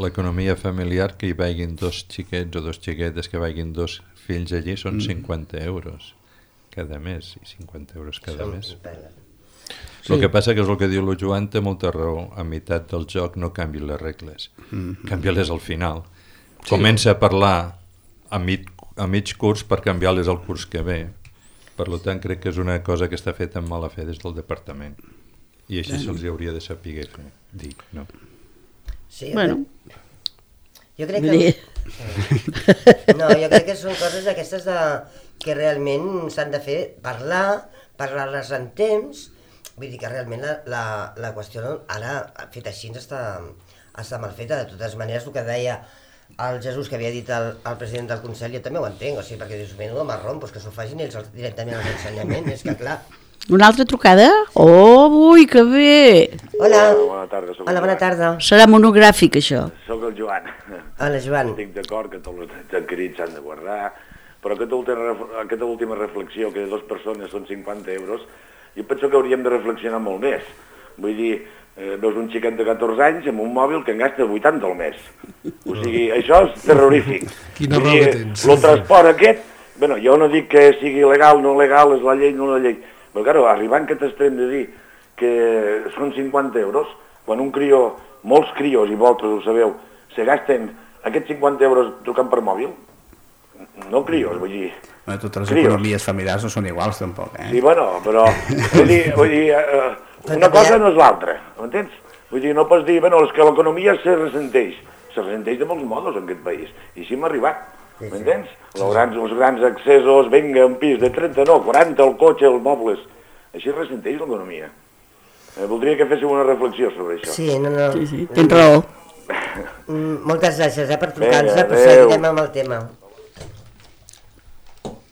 l'economia familiar, que hi vagin dos xiquets o dos xiquetes, que vagin dos fills allí, són 50 euros cada mes, i 50 euros cada mes. El que passa que és el que diu el Joan, té molta raó, a meitat del joc no canvi les regles, canvia-les al final. Comença a parlar a mig curs per canviar-les al curs que ve. Per tant, crec que és una cosa que està feta amb mala fe des del departament, i així se'ls hauria de saber dir, no? Sí, bueno. Jo crec que... No, jo crec que són coses aquestes que realment s'han de fer, parlar-les en temps, vull dir que realment la qüestió ara, fet així, està mal feta. De totes maneres, el que deia el Jesús, que havia dit el president del Consell, jo també ho entenc, o sigui, perquè dius, menudo marrón, doncs que s'ho facin ells directament als ensenyaments, és que clar... Una altra trucada? Oh, ui, que bé! Hola. Bona tarda. Hola, bona tarda. Serà monogràfic, això. Soc el Joan. Hola, Joan. Estic d'acord que tots els adquirits s'han de guardar, però aquesta última reflexió, que de 2 persones són 50 euros, jo penso que hauríem de reflexionar molt més. Vull dir, veus un xiquet de 14 anys amb un mòbil que en gasta 80 al mes. O sigui, això és terrorífic. Quina raó que tens. El transport aquest, bueno, jo no dic que sigui legal, no legal, és la llei, no la llei, però claro, arribant a aquest extrem de dir que són 50 euros, quan un crió, molts crios, i vosaltres ho sabeu, se gasten aquests 50 euros trucant per mòbil, no crios, vull dir... Totes les economies familiars no són iguals, tampoc, Sí, bueno, però vull dir una cosa no és l'altra, m'entens? Vull dir, no pots dir, bueno, és que l'economia se ressenteix de molts modos en aquest país, i així hem arribat. M'entens? Els grans accessos, vinga, un pis de 30, no, 40, el cotxe, els mobles. Així ressenteix l'economia. Voldria que féssiu una reflexió sobre això. Sí, no. Sí, tens raó. Moltes gràcies per trucar-nos, però seguirem amb el tema.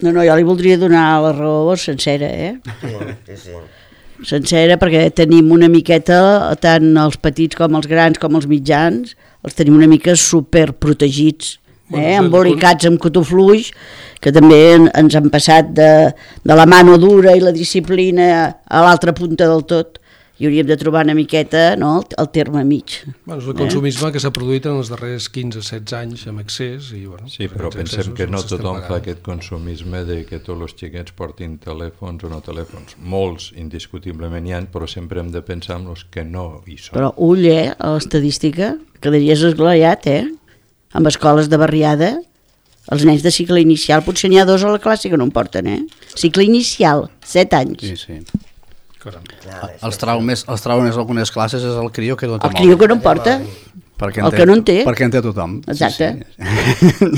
No, jo li voldria donar la raó sencera, Sí. Sencera, perquè tenim una miqueta, tant els petits com els grans com els mitjans, els tenim una mica superprotegits, embolicats amb cotó fluix, que també ens han passat de la mano dura i la disciplina a l'altra punta del tot, i hauríem de trobar una miqueta el terme mig. Bueno, és el consumisme que s'ha produït en els darrers 15-16 anys amb excés. Sí, però pensem que no tothom fa aquest consumisme de que tots els xiquets portin telèfons o no telèfons. Molts, indiscutiblement hi ha, però sempre hem de pensar en els que no hi són. Però ull, a l'estadística, cada dia és esglaiat, amb escoles de barriada, els nens de cicle inicial, potser n'hi ha 2 a la classe que no en porten, Cicle inicial, 7 anys. Sí. Els traumes d'algunes classes és el crió que no té mòbil. El crió que no en porta, el que no en té. Perquè en té tothom. Exacte.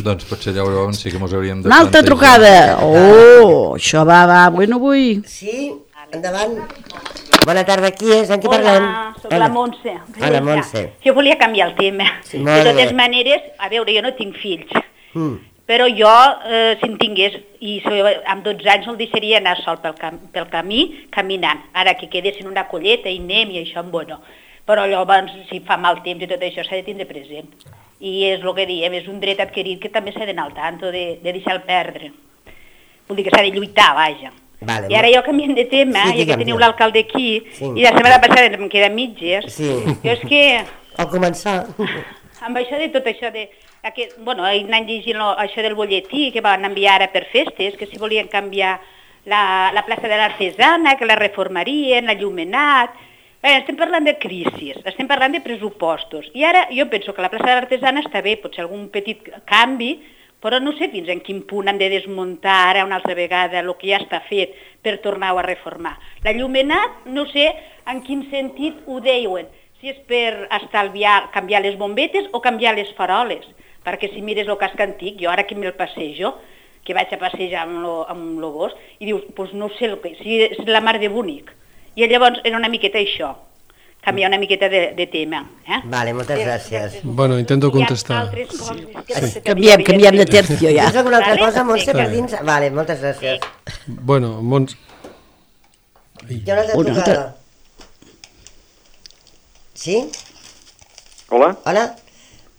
Doncs potser llavors sí que ens hauríem de... Una altra trucada! Oh, això va, bueno, vull... Sí, endavant. Bona tarda, qui és? En qui parlem? Hola, soc la Montse. Hola, Montse. Jo volia canviar el tema. De totes maneres, a veure, jo no tinc fills, però jo, si en tingués, i amb 12 anys no el deixaria anar sol pel camí, caminant. Ara que quedés en una colleta i anem i això, bueno. Però llavors, si fa mal temps i tot això, s'ha de tindre present. I és el que diem, és un dret adquirit que també s'ha d'anar al tanto de deixar-lo perdre. Vull dir que s'ha de lluitar, vaja. I ara jo canviem de tema, ja que teniu l'alcalde aquí, i la setmana passada em queda mitges, jo és que... Al començar... Amb això de tot això de... Bueno, anant llegint això del bolletí que van enviar ara per festes, que si volien canviar la plaça de l'Artesana, que la reformarien, l'allumenat... Estem parlant de crisis, estem parlant de pressupostos. I ara jo penso que la plaça de l'Artesana està bé, potser algun petit canvi, però no sé fins en quin punt hem de desmuntar ara una altra vegada el que ja està fet per tornar-ho a reformar. L'allumenat, no sé en quin sentit ho deuen, si és per estalviar, canviar les bombetes o canviar les faroles, perquè si mires el casc antic, jo ara que me'l passejo, que vaig a passejar amb el gos, i dius, doncs no sé el que, si és la mar de bonic. I llavors era una miqueta això, canviar una miqueta de tema. Vale, moltes gràcies. Bueno, intento contestar. Canviem de tercio ja. Tens alguna altra cosa, Montse, per dins? Vale, moltes gràcies. Bueno, Hi ha una altra trucada. Sí? Hola? Hola?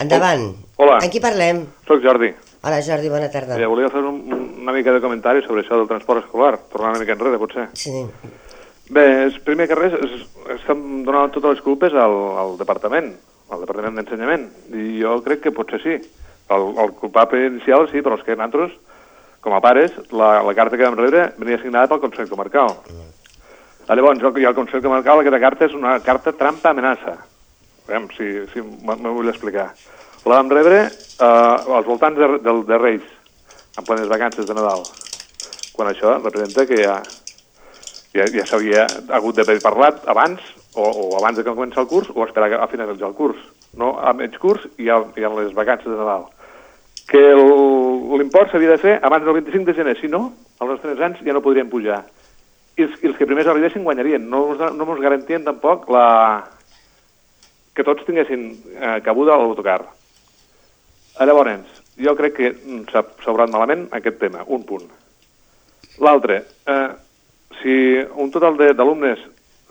Endavant. Hola. En qui parlem? Soc Jordi. Hola, Jordi, bona tarda. Volia fer una mica de comentari sobre això del transport escolar, tornar una mica enrere, potser. Sí. Bé, primer que res, estem donant totes les culpes al departament d'ensenyament, i jo crec que potser sí. El culpable inicial sí, però és que nosaltres, com a pares, la carta que vam rebre venia signada pel Consell Comarcal. Llavors, el Consell Comarcal, aquesta carta és una carta trampa-amenaça. Aviam, si m'ho vull explicar. La vam rebre als voltants de Reis, en plenes vacances de Nadal, quan això representa que ja s'havia hagut d'haver parlat abans, o abans de que comenci el curs, o esperar a finalitzar el curs. No a mig curs i a les vacances de Nadal. Que l'import s'havia de fer abans del 25 de gener, si no, els nostres nens ja no podrien pujar. I els que primers arribessin guanyarien. No ens garantien tampoc que tots tinguessin cabuda a l'autocar. Llavors, jo crec que s'ha obrat malament aquest tema, un punt. L'altre, si un total d'alumnes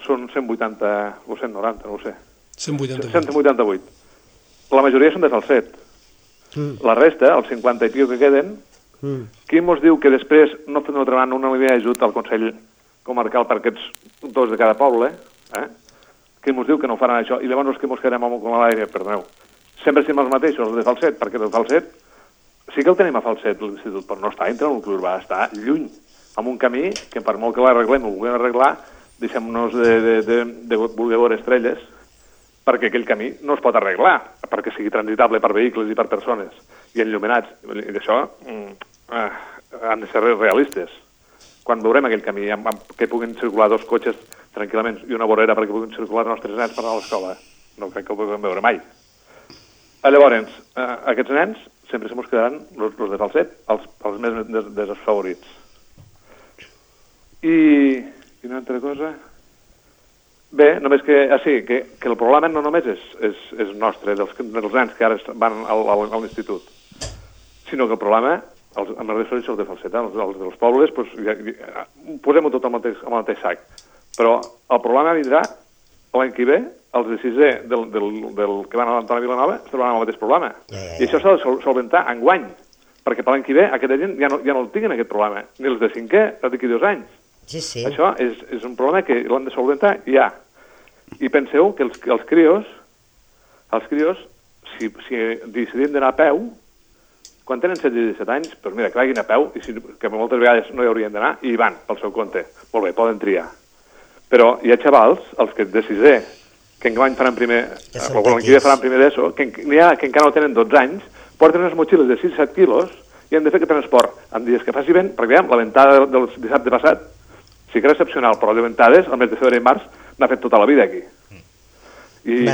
són 180 o 190, no ho sé. 188. La majoria són de Falset. La resta, els 50 i pico que queden, qui mos diu que després no fem una línia d'ajut al Consell Comarcal per aquests dos de cada poble, qui mos diu que no faran això, i llavors els que mos quedem amb l'aire, perdoneu, sempre estem els mateixos, els de Falset, perquè el Falset, sí que el tenim a Falset, l'institut, però no està entre el nucli urbà, està lluny, amb un camí que per molt que l'arreglem, ho vulguem arreglar, deixem-nos de voler veure estrelles, perquè aquell camí no es pot arreglar, perquè sigui transitable per vehicles i per persones, i enllumenats, i d'això han de ser realistes. Quan veurem aquell camí, que puguin circular dos cotxes tranquil·lament i una vorera perquè puguin circular els nostres nens per anar a l'escola, no crec que ho puguem veure mai. Llavors, aquests nens sempre se mos quedaran els de Falset, els més desfavorits. I una altra cosa... Bé, només que el problema no només és nostre, dels nens que ara van a l'institut, sinó que el problema, amb les referències de Falset, els dels pobles, posem-ho tot al mateix sac. Però el problema vindrà l'any que ve, els de sisè del que van a l'Antona Vilanova es trobaran el mateix problema. I això s'ha de solventar enguany, perquè per l'any que ve aquesta gent ja no el tinguin aquest problema, ni els de cinquè d'aquí 2 anys. Sí. Això és un problema que l'han de solventar ja. I penseu que els crios, si decidim d'anar a peu, quan tenen 16 i 17 anys, doncs mira, que vagin a peu, que moltes vegades no hi haurien d'anar, i hi van pel seu compte. Molt bé, poden triar. Però hi ha xavals, els que de sisè, que enguany faran primer, o l'any que ve faran primer d'ESO, que n'hi ha que encara no tenen 12 anys, porten unes motxilles de 6-7 quilos i han de fer aquest transport en dies que faci vent, perquè la ventada del dissabte passat sí que era excepcional, però les ventades, al mes de febrer i març, n'ha fet tota la vida aquí. I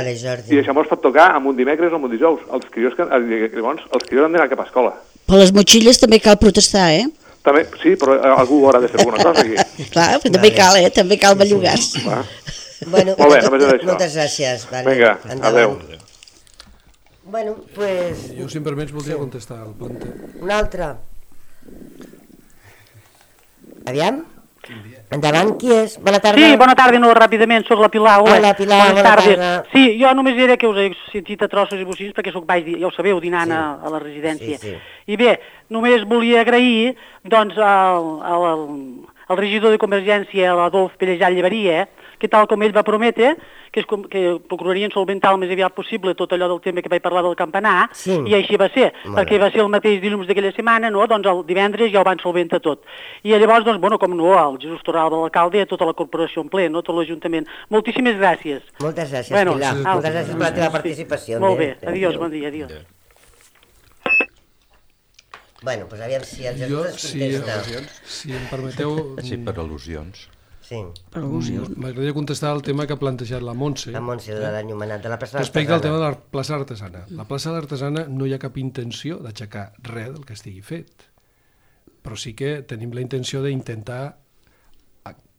això mos pot tocar amb un dimecres o amb un dijous. Els crios han d'anar cap a escola. Per les motxilles també cal protestar, També, sí, però algú haurà de fer alguna cosa aquí. Clar, però també cal, també cal bellugar-se. Bueno, molt bé, només és això. Moltes gràcies. Vinga, adeu. Bueno, pues... Jo, si em permets, voldria contestar al planter. Un altre. Aviam. Endavant, qui és? Bona tarda. Sí, bona tarda, no, ràpidament, sóc la Pilar. Hola, Pilar, bona tarda. Sí, jo només diré que us he sentit a trossos i bocins perquè ja ho sabeu, dinant a la residència. Sí. I bé, només volia agrair, doncs, el regidor de Convergència, l'Adolf Pellejà Llevaria, que tal com ell va prometre, que procurarien solventar el més aviat possible tot allò del tema que vaig parlar del campanar, i així va ser, perquè va ser el mateix dilluns d'aquella setmana, doncs el divendres ja ho van solventar tot. I llavors, doncs, com no, el Jesús Torralba, l'alcalde, tota la corporació en ple, tot l'Ajuntament. Moltíssimes gràcies. Moltes gràcies, Pilar. Moltes gràcies per la teva participació. Molt bé, adiós, bon dia, adiós. Bueno, doncs aviam si el Jesús es contesta. Si em permeteu... Sí, per al·lusions. Sí. M'agradaria contestar el tema que ha plantejat la Montse. La Montse, de l'enllumenat, de la plaça d'Artesana. Respecte al tema de la plaça d'Artesana. La plaça d'Artesana no hi ha cap intenció d'aixecar res del que estigui fet. Però sí que tenim la intenció d'intentar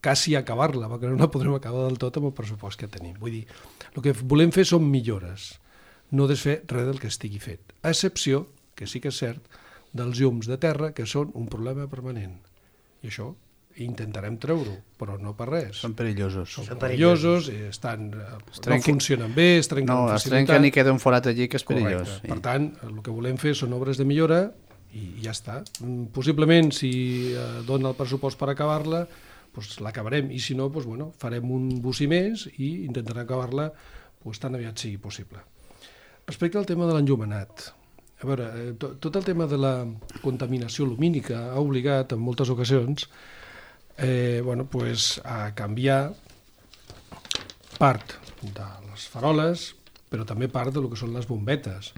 quasi acabar-la, perquè no la podrem acabar del tot amb el pressupost que tenim. Vull dir, el que volem fer són millores, no desfer res del que estigui fet. A excepció, que sí que és cert, dels llums de terra, que són un problema permanent. I això intentarem treure-ho, però no per res. Són perillosos. Són perillosos, no funcionen bé, es trenquen amb facilitat. Es trenquen i queda un forat allí que és perillós. Correcte. Per tant, el que volem fer són obres de millora i ja està. Possiblement, si dona el pressupost per acabar-la, doncs l'acabarem, i si no, doncs, bueno, farem un bocí més i intentarem acabar-la doncs, tan aviat sigui possible. Respecte al tema de l'enllumenat, a veure, tot el tema de la contaminació lumínica ha obligat en moltes ocasions a canviar part de les faroles, però també part del que són les bombetes,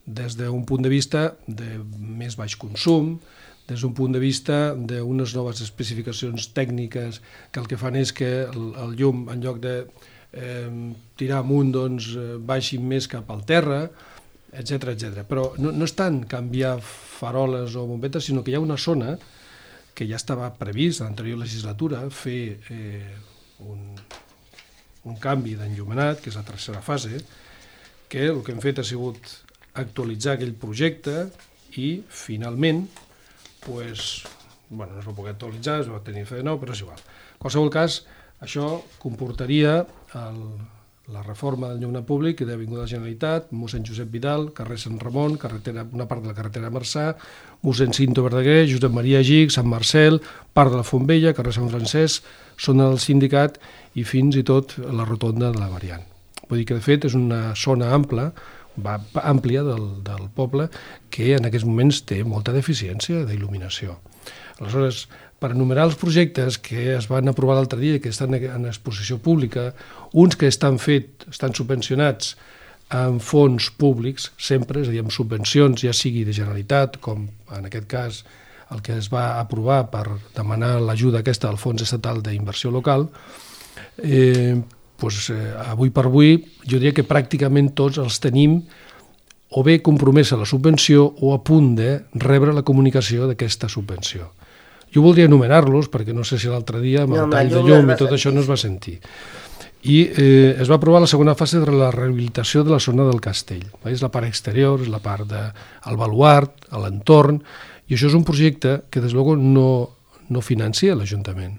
des d'un punt de vista de més baix consum, des d'un punt de vista d'unes noves especificacions tècniques que el que fan és que el llum, en lloc de tirar amunt, doncs baixi més cap al terra, etc. Però no és tant canviar faroles o bombetes, sinó que hi ha una zona que ja estava previst a l'anterior legislatura fer un canvi d'enllumenat, que és la tercera fase, que el que hem fet ha sigut actualitzar aquell projecte i finalment no es va poder actualitzar, es va tenir que fer de nou, però és igual. En qualsevol cas, això comportaria la reforma del llum públic de l'Avinguda de la Generalitat, mossèn Josep Vidal, carrer Sant Ramon, una part de la carretera Marçà, mossèn Cinto Verdaguer, Josep Maria Gig, Sant Marcel, part de la Fontbella, carrer Sant Francesc, zona del Sindicat i fins i tot la rotonda de la Variant. Vull dir que, de fet, és una zona àmplia del poble que en aquests moments té molta deficiència d'il·luminació. Aleshores, per enumerar els projectes que es van aprovar l'altre dia i que estan en exposició pública, uns que estan subvencionats amb fons públics, sempre, és a dir, amb subvencions, ja sigui de Generalitat, com en aquest cas el que es va aprovar per demanar l'ajuda aquesta del Fons Estatal d'Inversió Local, avui per avui jo diria que pràcticament tots els tenim o bé compromesa la subvenció o a punt de rebre la comunicació d'aquesta subvenció. Jo voldria enumerar-los perquè no sé si l'altre dia amb el tall de llum i tot això no es va sentir. I es va aprovar la segona fase de la rehabilitació de la zona del castell. És la part exterior, és la part del baluart, l'entorn, i això és un projecte que des de luego no financia l'Ajuntament.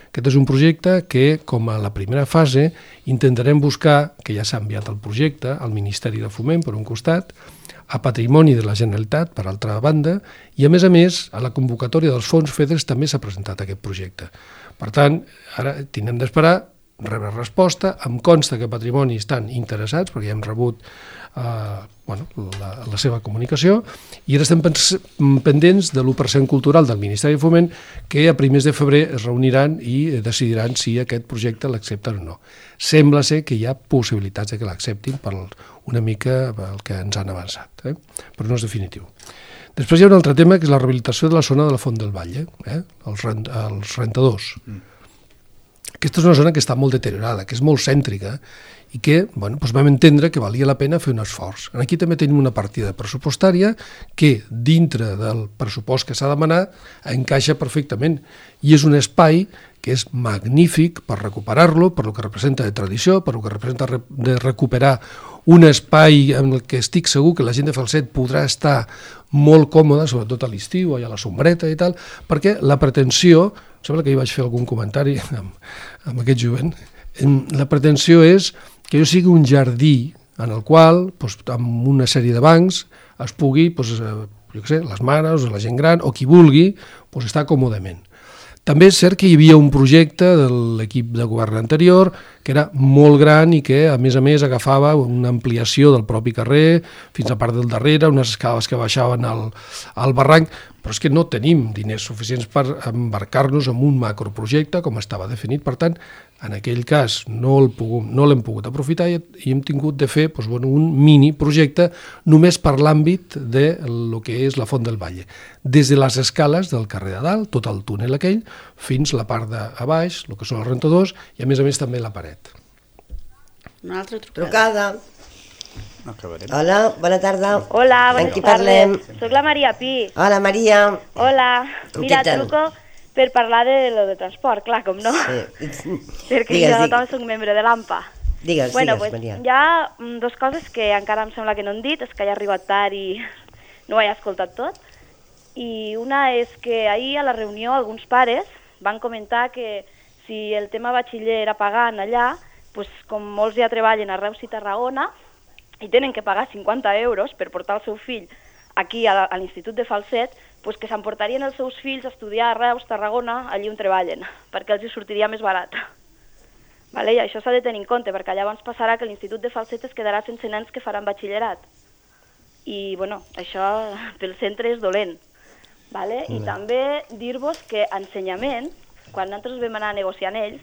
Aquest és un projecte que, com a la primera fase, intentarem buscar, que ja s'ha enviat el projecte al Ministeri de Foment, per un costat, a Patrimoni de la Generalitat, per altra banda, i a més, a la convocatòria dels fons FEDER també s'ha presentat aquest projecte. Per tant, ara tindrem d'esperar, rebre resposta, em consta que Patrimoni estan interessats, perquè ja hem rebut la seva comunicació, i ara estem pendents de l'1% cultural del Ministeri de Foment, que a primers de febrer es reuniran i decidiran si aquest projecte l'accepten o no. Sembla ser que hi ha possibilitats de que l'acceptin per una mica el que ens han avançat, però no és definitiu. Després hi ha un altre tema, que és la rehabilitació de la zona de la Font del Batlle, els rentadors. Aquesta és una zona que està molt deteriorada, que és molt cèntrica, i que vam entendre que valia la pena fer un esforç. Aquí també tenim una partida pressupostària que, dintre del pressupost que s'ha demanat, encaixa perfectament. I és un espai que és magnífic per recuperar-lo, per el que representa de tradició, per el que representa de recuperar un espai en el que estic segur que la gent de Falset podrà estar molt còmoda, sobretot a l'estiu, allà a la sombreta i tal, perquè la pretensió, sembla que hi vaig fer algun comentari amb aquest jovent, la pretensió és que jo sigui un jardí en el qual, amb una sèrie de bancs, es pugui, les mares o la gent gran, o qui vulgui, estar còmodament. També és cert que hi havia un projecte de l'equip de govern anterior que era molt gran i que, a més, agafava una ampliació del propi carrer fins a part del darrere, unes escales que baixaven al barranc, però és que no tenim diners suficients per embarcar-nos en un macroprojecte com estava definit. Per tant, en aquell cas no l'hem pogut aprofitar i hem tingut de fer un mini projecte només per l'àmbit de lo que és la Font del Valle. Des de les escales del carrer de dalt, tot el túnel aquell, fins la part de baix, el que són els rentadors, i a més també la paret. Una altra trucada. Hola, bona tarda. Hola, bona tarda. Soc la Maria Pi. Hola, Maria. Hola. Mira, truco per parlar de lo de transport, clar, com no? Sí. Perquè jo també soc membre de l'AMPA. Digues, Maria. Hi ha dues coses que encara em sembla que no han dit, és que he arribat tard i no ho he escoltat tot. I una és que ahir a la reunió alguns pares van comentar que si el tema batxiller era pagant allà, com molts ja treballen a Reus i Tarragona i tenen que pagar 50 euros per portar el seu fill aquí a l'Institut de Falset, que s'emportarien els seus fills a estudiar a Reus, Tarragona, allí on treballen, perquè els hi sortiria més barat. I això s'ha de tenir en compte, perquè llavors passarà que l'Institut de Falset es quedarà sense nens que faran batxillerat. I això pel centre és dolent. I també dir-vos que ensenyament, quan nosaltres vam anar negociant ells,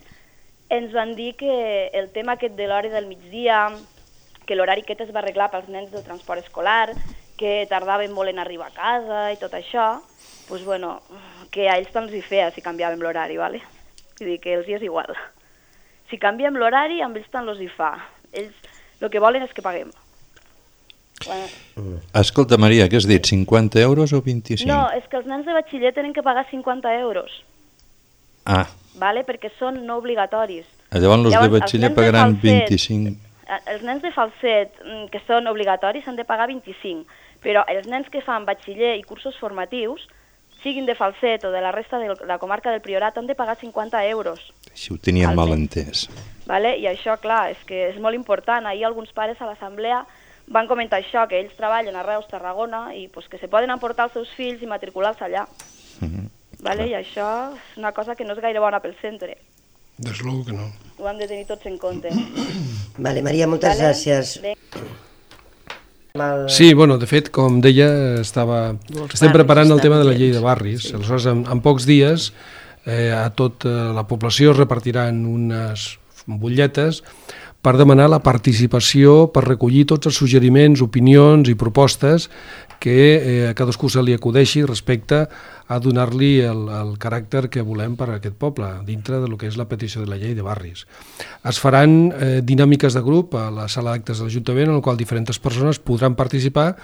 ens van dir que el tema aquest de l'hora del migdia, que l'horari aquest es va arreglar pels nens del transport escolar, que tardaven molt en arribar a casa i tot això, que a ells tant els hi feia si canviàvem l'horari, vull dir que els hi és igual. Si canviem l'horari, amb ells tant els hi fa. Ells el que volen és que paguem. Escolta, Maria, què has dit, 50 euros o 25? No, és que els nens de batxiller tenen que pagar 50 euros. Perquè són no obligatoris. Llavors els de batxiller pagaran 25. Els nens de Falset, que són obligatoris, han de pagar 25, però els nens que fan batxiller i cursos formatius, siguin de Falset o de la resta de la comarca del Priorat, han de pagar 50 euros. Si ho tenien mal entès. I això, clar, és que és molt important. Ahir alguns pares a l'assemblea van comentar això, que ells treballen a Reus, Tarragona, i que se poden emportar els seus fills i matricular-se allà. I això és una cosa que no és gaire bona pel centre. Deslogo que no. Ho hem de tenir tots en compte. Maria, moltes gràcies. Sí, de fet, com deia, estem preparant el tema de la llei de barris. Aleshores, en pocs dies, a tota la població es repartiran unes butlletes per demanar la participació, per recollir tots els suggeriments, opinions i propostes que a cadascú se li acudeixi respecte a donar-li el caràcter que volem per a aquest poble, dintre del que és la petició de la llei de barris. Es faran dinàmiques de grup a la sala d'actes de l'Ajuntament, en la qual diferents persones podran participar,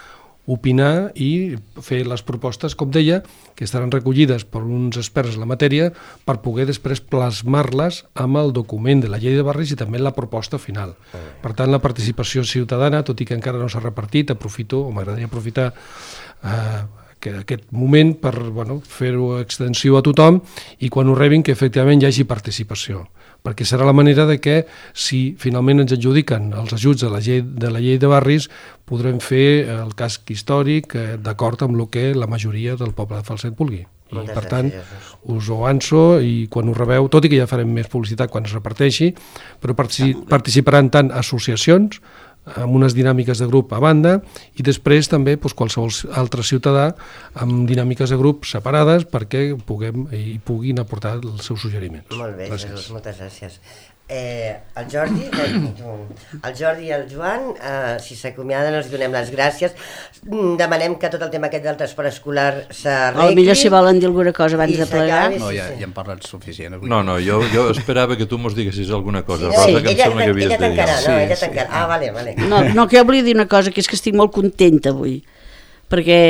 opinar i fer les propostes, com deia, que estaran recollides per uns experts en la matèria per poder després plasmar-les amb el document de la llei de barris i també la proposta final. Per tant, la participació ciutadana, tot i que encara no s'ha repartit, m'agradaria aprofitar aquest moment per fer-ho extensiu a tothom i quan ho rebin que efectivament hi hagi participació, perquè serà la manera de que si finalment ens adjudiquen els ajuts de la llei de barris podrem fer el casc històric d'acord amb el que la majoria del poble de Falset vulgui. I per tant us ho avanço i quan ho rebeu, tot i que ja farem més publicitat quan es reparteixi, però participaran tant associacions amb unes dinàmiques de grup a banda i després també qualsevol altre ciutadà amb dinàmiques de grup separades perquè puguin aportar els seus suggeriments. Molt bé, Jesús, moltes gràcies. El Jordi i el Joan, si s'acomiaden els donem les gràcies. Demanem que tot el tema aquest del transport escolar s'arregli. Potser si volen dir alguna cosa abans de plegar. No, ja hem parlat suficient. No, jo esperava que tu mos diguessis alguna cosa. Sí, ella tancarà. Ah, vale. No, que jo volia dir una cosa, que és que estic molt contenta avui, perquè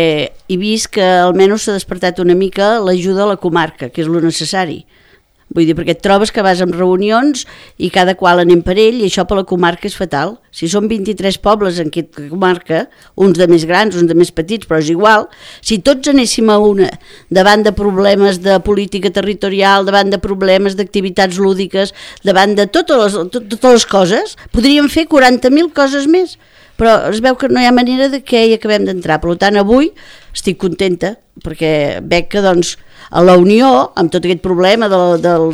he vist que almenys s'ha despertat una mica l'ajuda a la comarca, que és lo necessari. Vull dir, perquè et trobes que vas amb reunions i cada qual anem per ell i això per la comarca és fatal. Si són 23 pobles en aquesta comarca, uns de més grans, uns de més petits, però és igual, si tots anéssim a una davant de problemes de política territorial, davant de problemes d'activitats lúdiques, davant de totes les coses, podríem fer 40.000 coses més. però es veu que no hi ha manera de que hi acabem d'entrar. Per tant, avui estic contenta, perquè veig que doncs, a la Unió, amb tot aquest problema del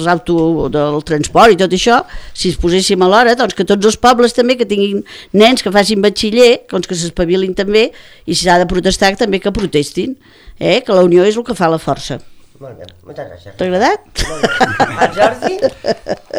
transport i tot això, si es poséssim a l'hora, doncs que tots els pobles també que tinguin nens que facin batxiller, doncs que s'espavilin també, i si s'ha de protestar també que protestin, que la Unió és el que fa la força. Molt bé, moltes gràcies. T'ha agradat? El Jordi?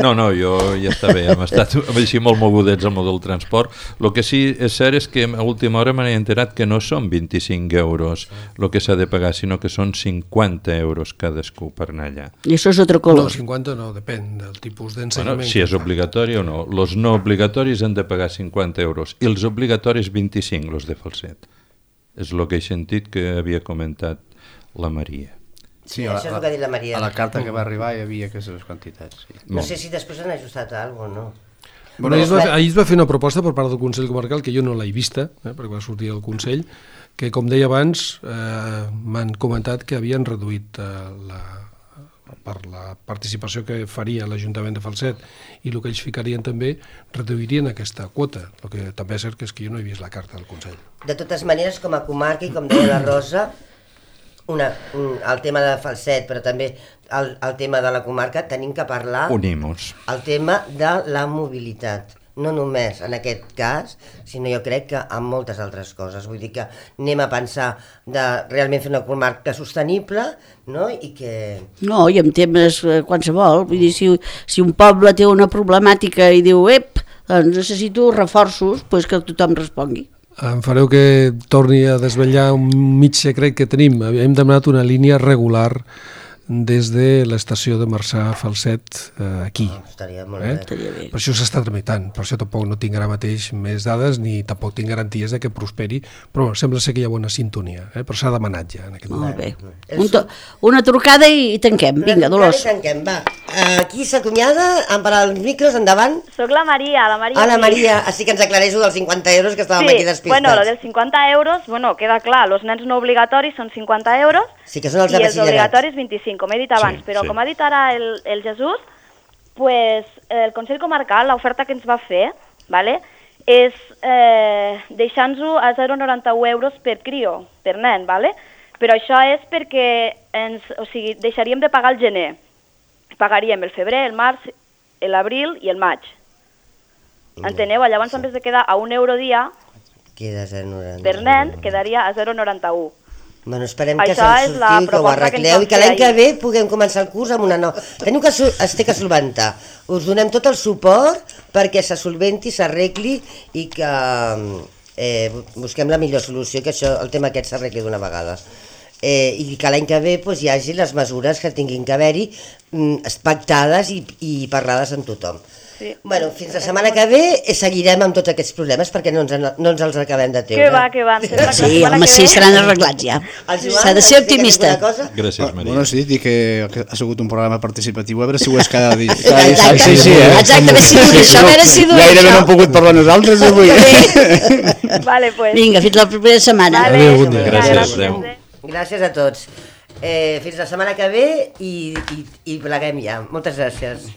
No, jo ja està bé, hem estat així molt mogudets amb el del transport. El que sí és cert és que a última hora m'he enterat que no són 25 euros el que s'ha de pagar, sinó que són 50 euros cadascú per anar allà. I això és altre color. No, 50 no, depèn del tipus d'ensenyament. Si és obligatori o no. Els no obligatoris han de pagar 50 euros i els obligatoris 25, els de Falset. És el que he sentit que havia comentat la Maria. Sí, això és el que ha dit la Maria. A la carta que va arribar hi havia aquestes quantitats. Sí. No sé si després han ajustat alguna cosa o no. Bueno, ahir es va fer una proposta per part del Consell Comarcal, que jo no l'he vista, perquè va sortir al Consell, que com deia abans m'han comentat que havien reduït per la participació que faria l'Ajuntament de Falset i el que ells ficarien també, reduirien aquesta quota. El que també és cert que és que jo no he vist la carta del Consell. De totes maneres, com a comarca i com deia la Rosa, el tema de Falset, però també el tema de la comarca, tenim que parlar el tema de la mobilitat. No només en aquest cas, sinó jo crec que en moltes altres coses. Vull dir que anem a pensar de realment fer una comarca sostenible, no? I que... No, i en temes qualsevol. Vull dir, si un poble té una problemàtica i diu, doncs necessito reforços, doncs que tothom respongui. Em fareu que torni a desvetllar un mig secret que tenim. Hem demanat una línia regular des de l'estació de Marçà a Falset aquí. Estaria molt bé. Per això s'està tramitant, per això tampoc no tinc ara mateix més dades ni tampoc tinc garanties de que prosperi, però sembla ser que hi ha bona sintonia, però s'ha demanat ja en aquest moment. Molt bé. Una trucada i tanquem. Vinga, Dolors. Tanquem, va. Aquí s'acomiada, han parat els micros, endavant. Soc la Maria. Hola, Maria. Així que ens aclareixo dels 50 euros que estàvem aquí despistats. Bueno, lo dels 50 euros, queda clar, els nens no obligatoris són 50 euros sí que són els de i els batxillerat. obligatoris 25, com he dit abans, però com ha dit ara el Jesús, pues, el Consell Comarcal, l'oferta que ens va fer, és deixant-nos a 0,91 euros per crio, per nen, però això és perquè deixaríem de pagar el gener, pagaríem el febrer, el març, l'abril i el maig. Enteneu? Llavors, en vez de quedar a €1 dia, per nen, quedaria a 0,91. Bueno, esperem que se'n sortiu i que ho arregleu i que l'any que ve puguem començar el curs amb una nova... Teniu que es té que solventar. Us donem tot el suport perquè se solventi, s'arregli i que busquem la millor solució, que això, el tema aquest s'arregli d'una vegada. I que l'any que ve hi hagi les mesures que tinguin que haver-hi pactades i parlades amb tothom. Bueno, fins la setmana que ve seguirem amb tots aquests problemes perquè no ens els acabem de treure. Que va. Sí, home, sí, seran arreglats ja. S'ha de ser optimista. Gràcies, Maria. Bueno, sí, dic que ha sigut un programa participatiu, a veure si ho és cada dia. Exacte, a veure si dura això. Gairebé no hem pogut parlar nosaltres avui. Vale, pues. Vinga, fins la propera setmana. Adéu, bon dia. Gràcies. Gràcies a tots. Fins la setmana que ve i pleguem ja. Moltes gràcies.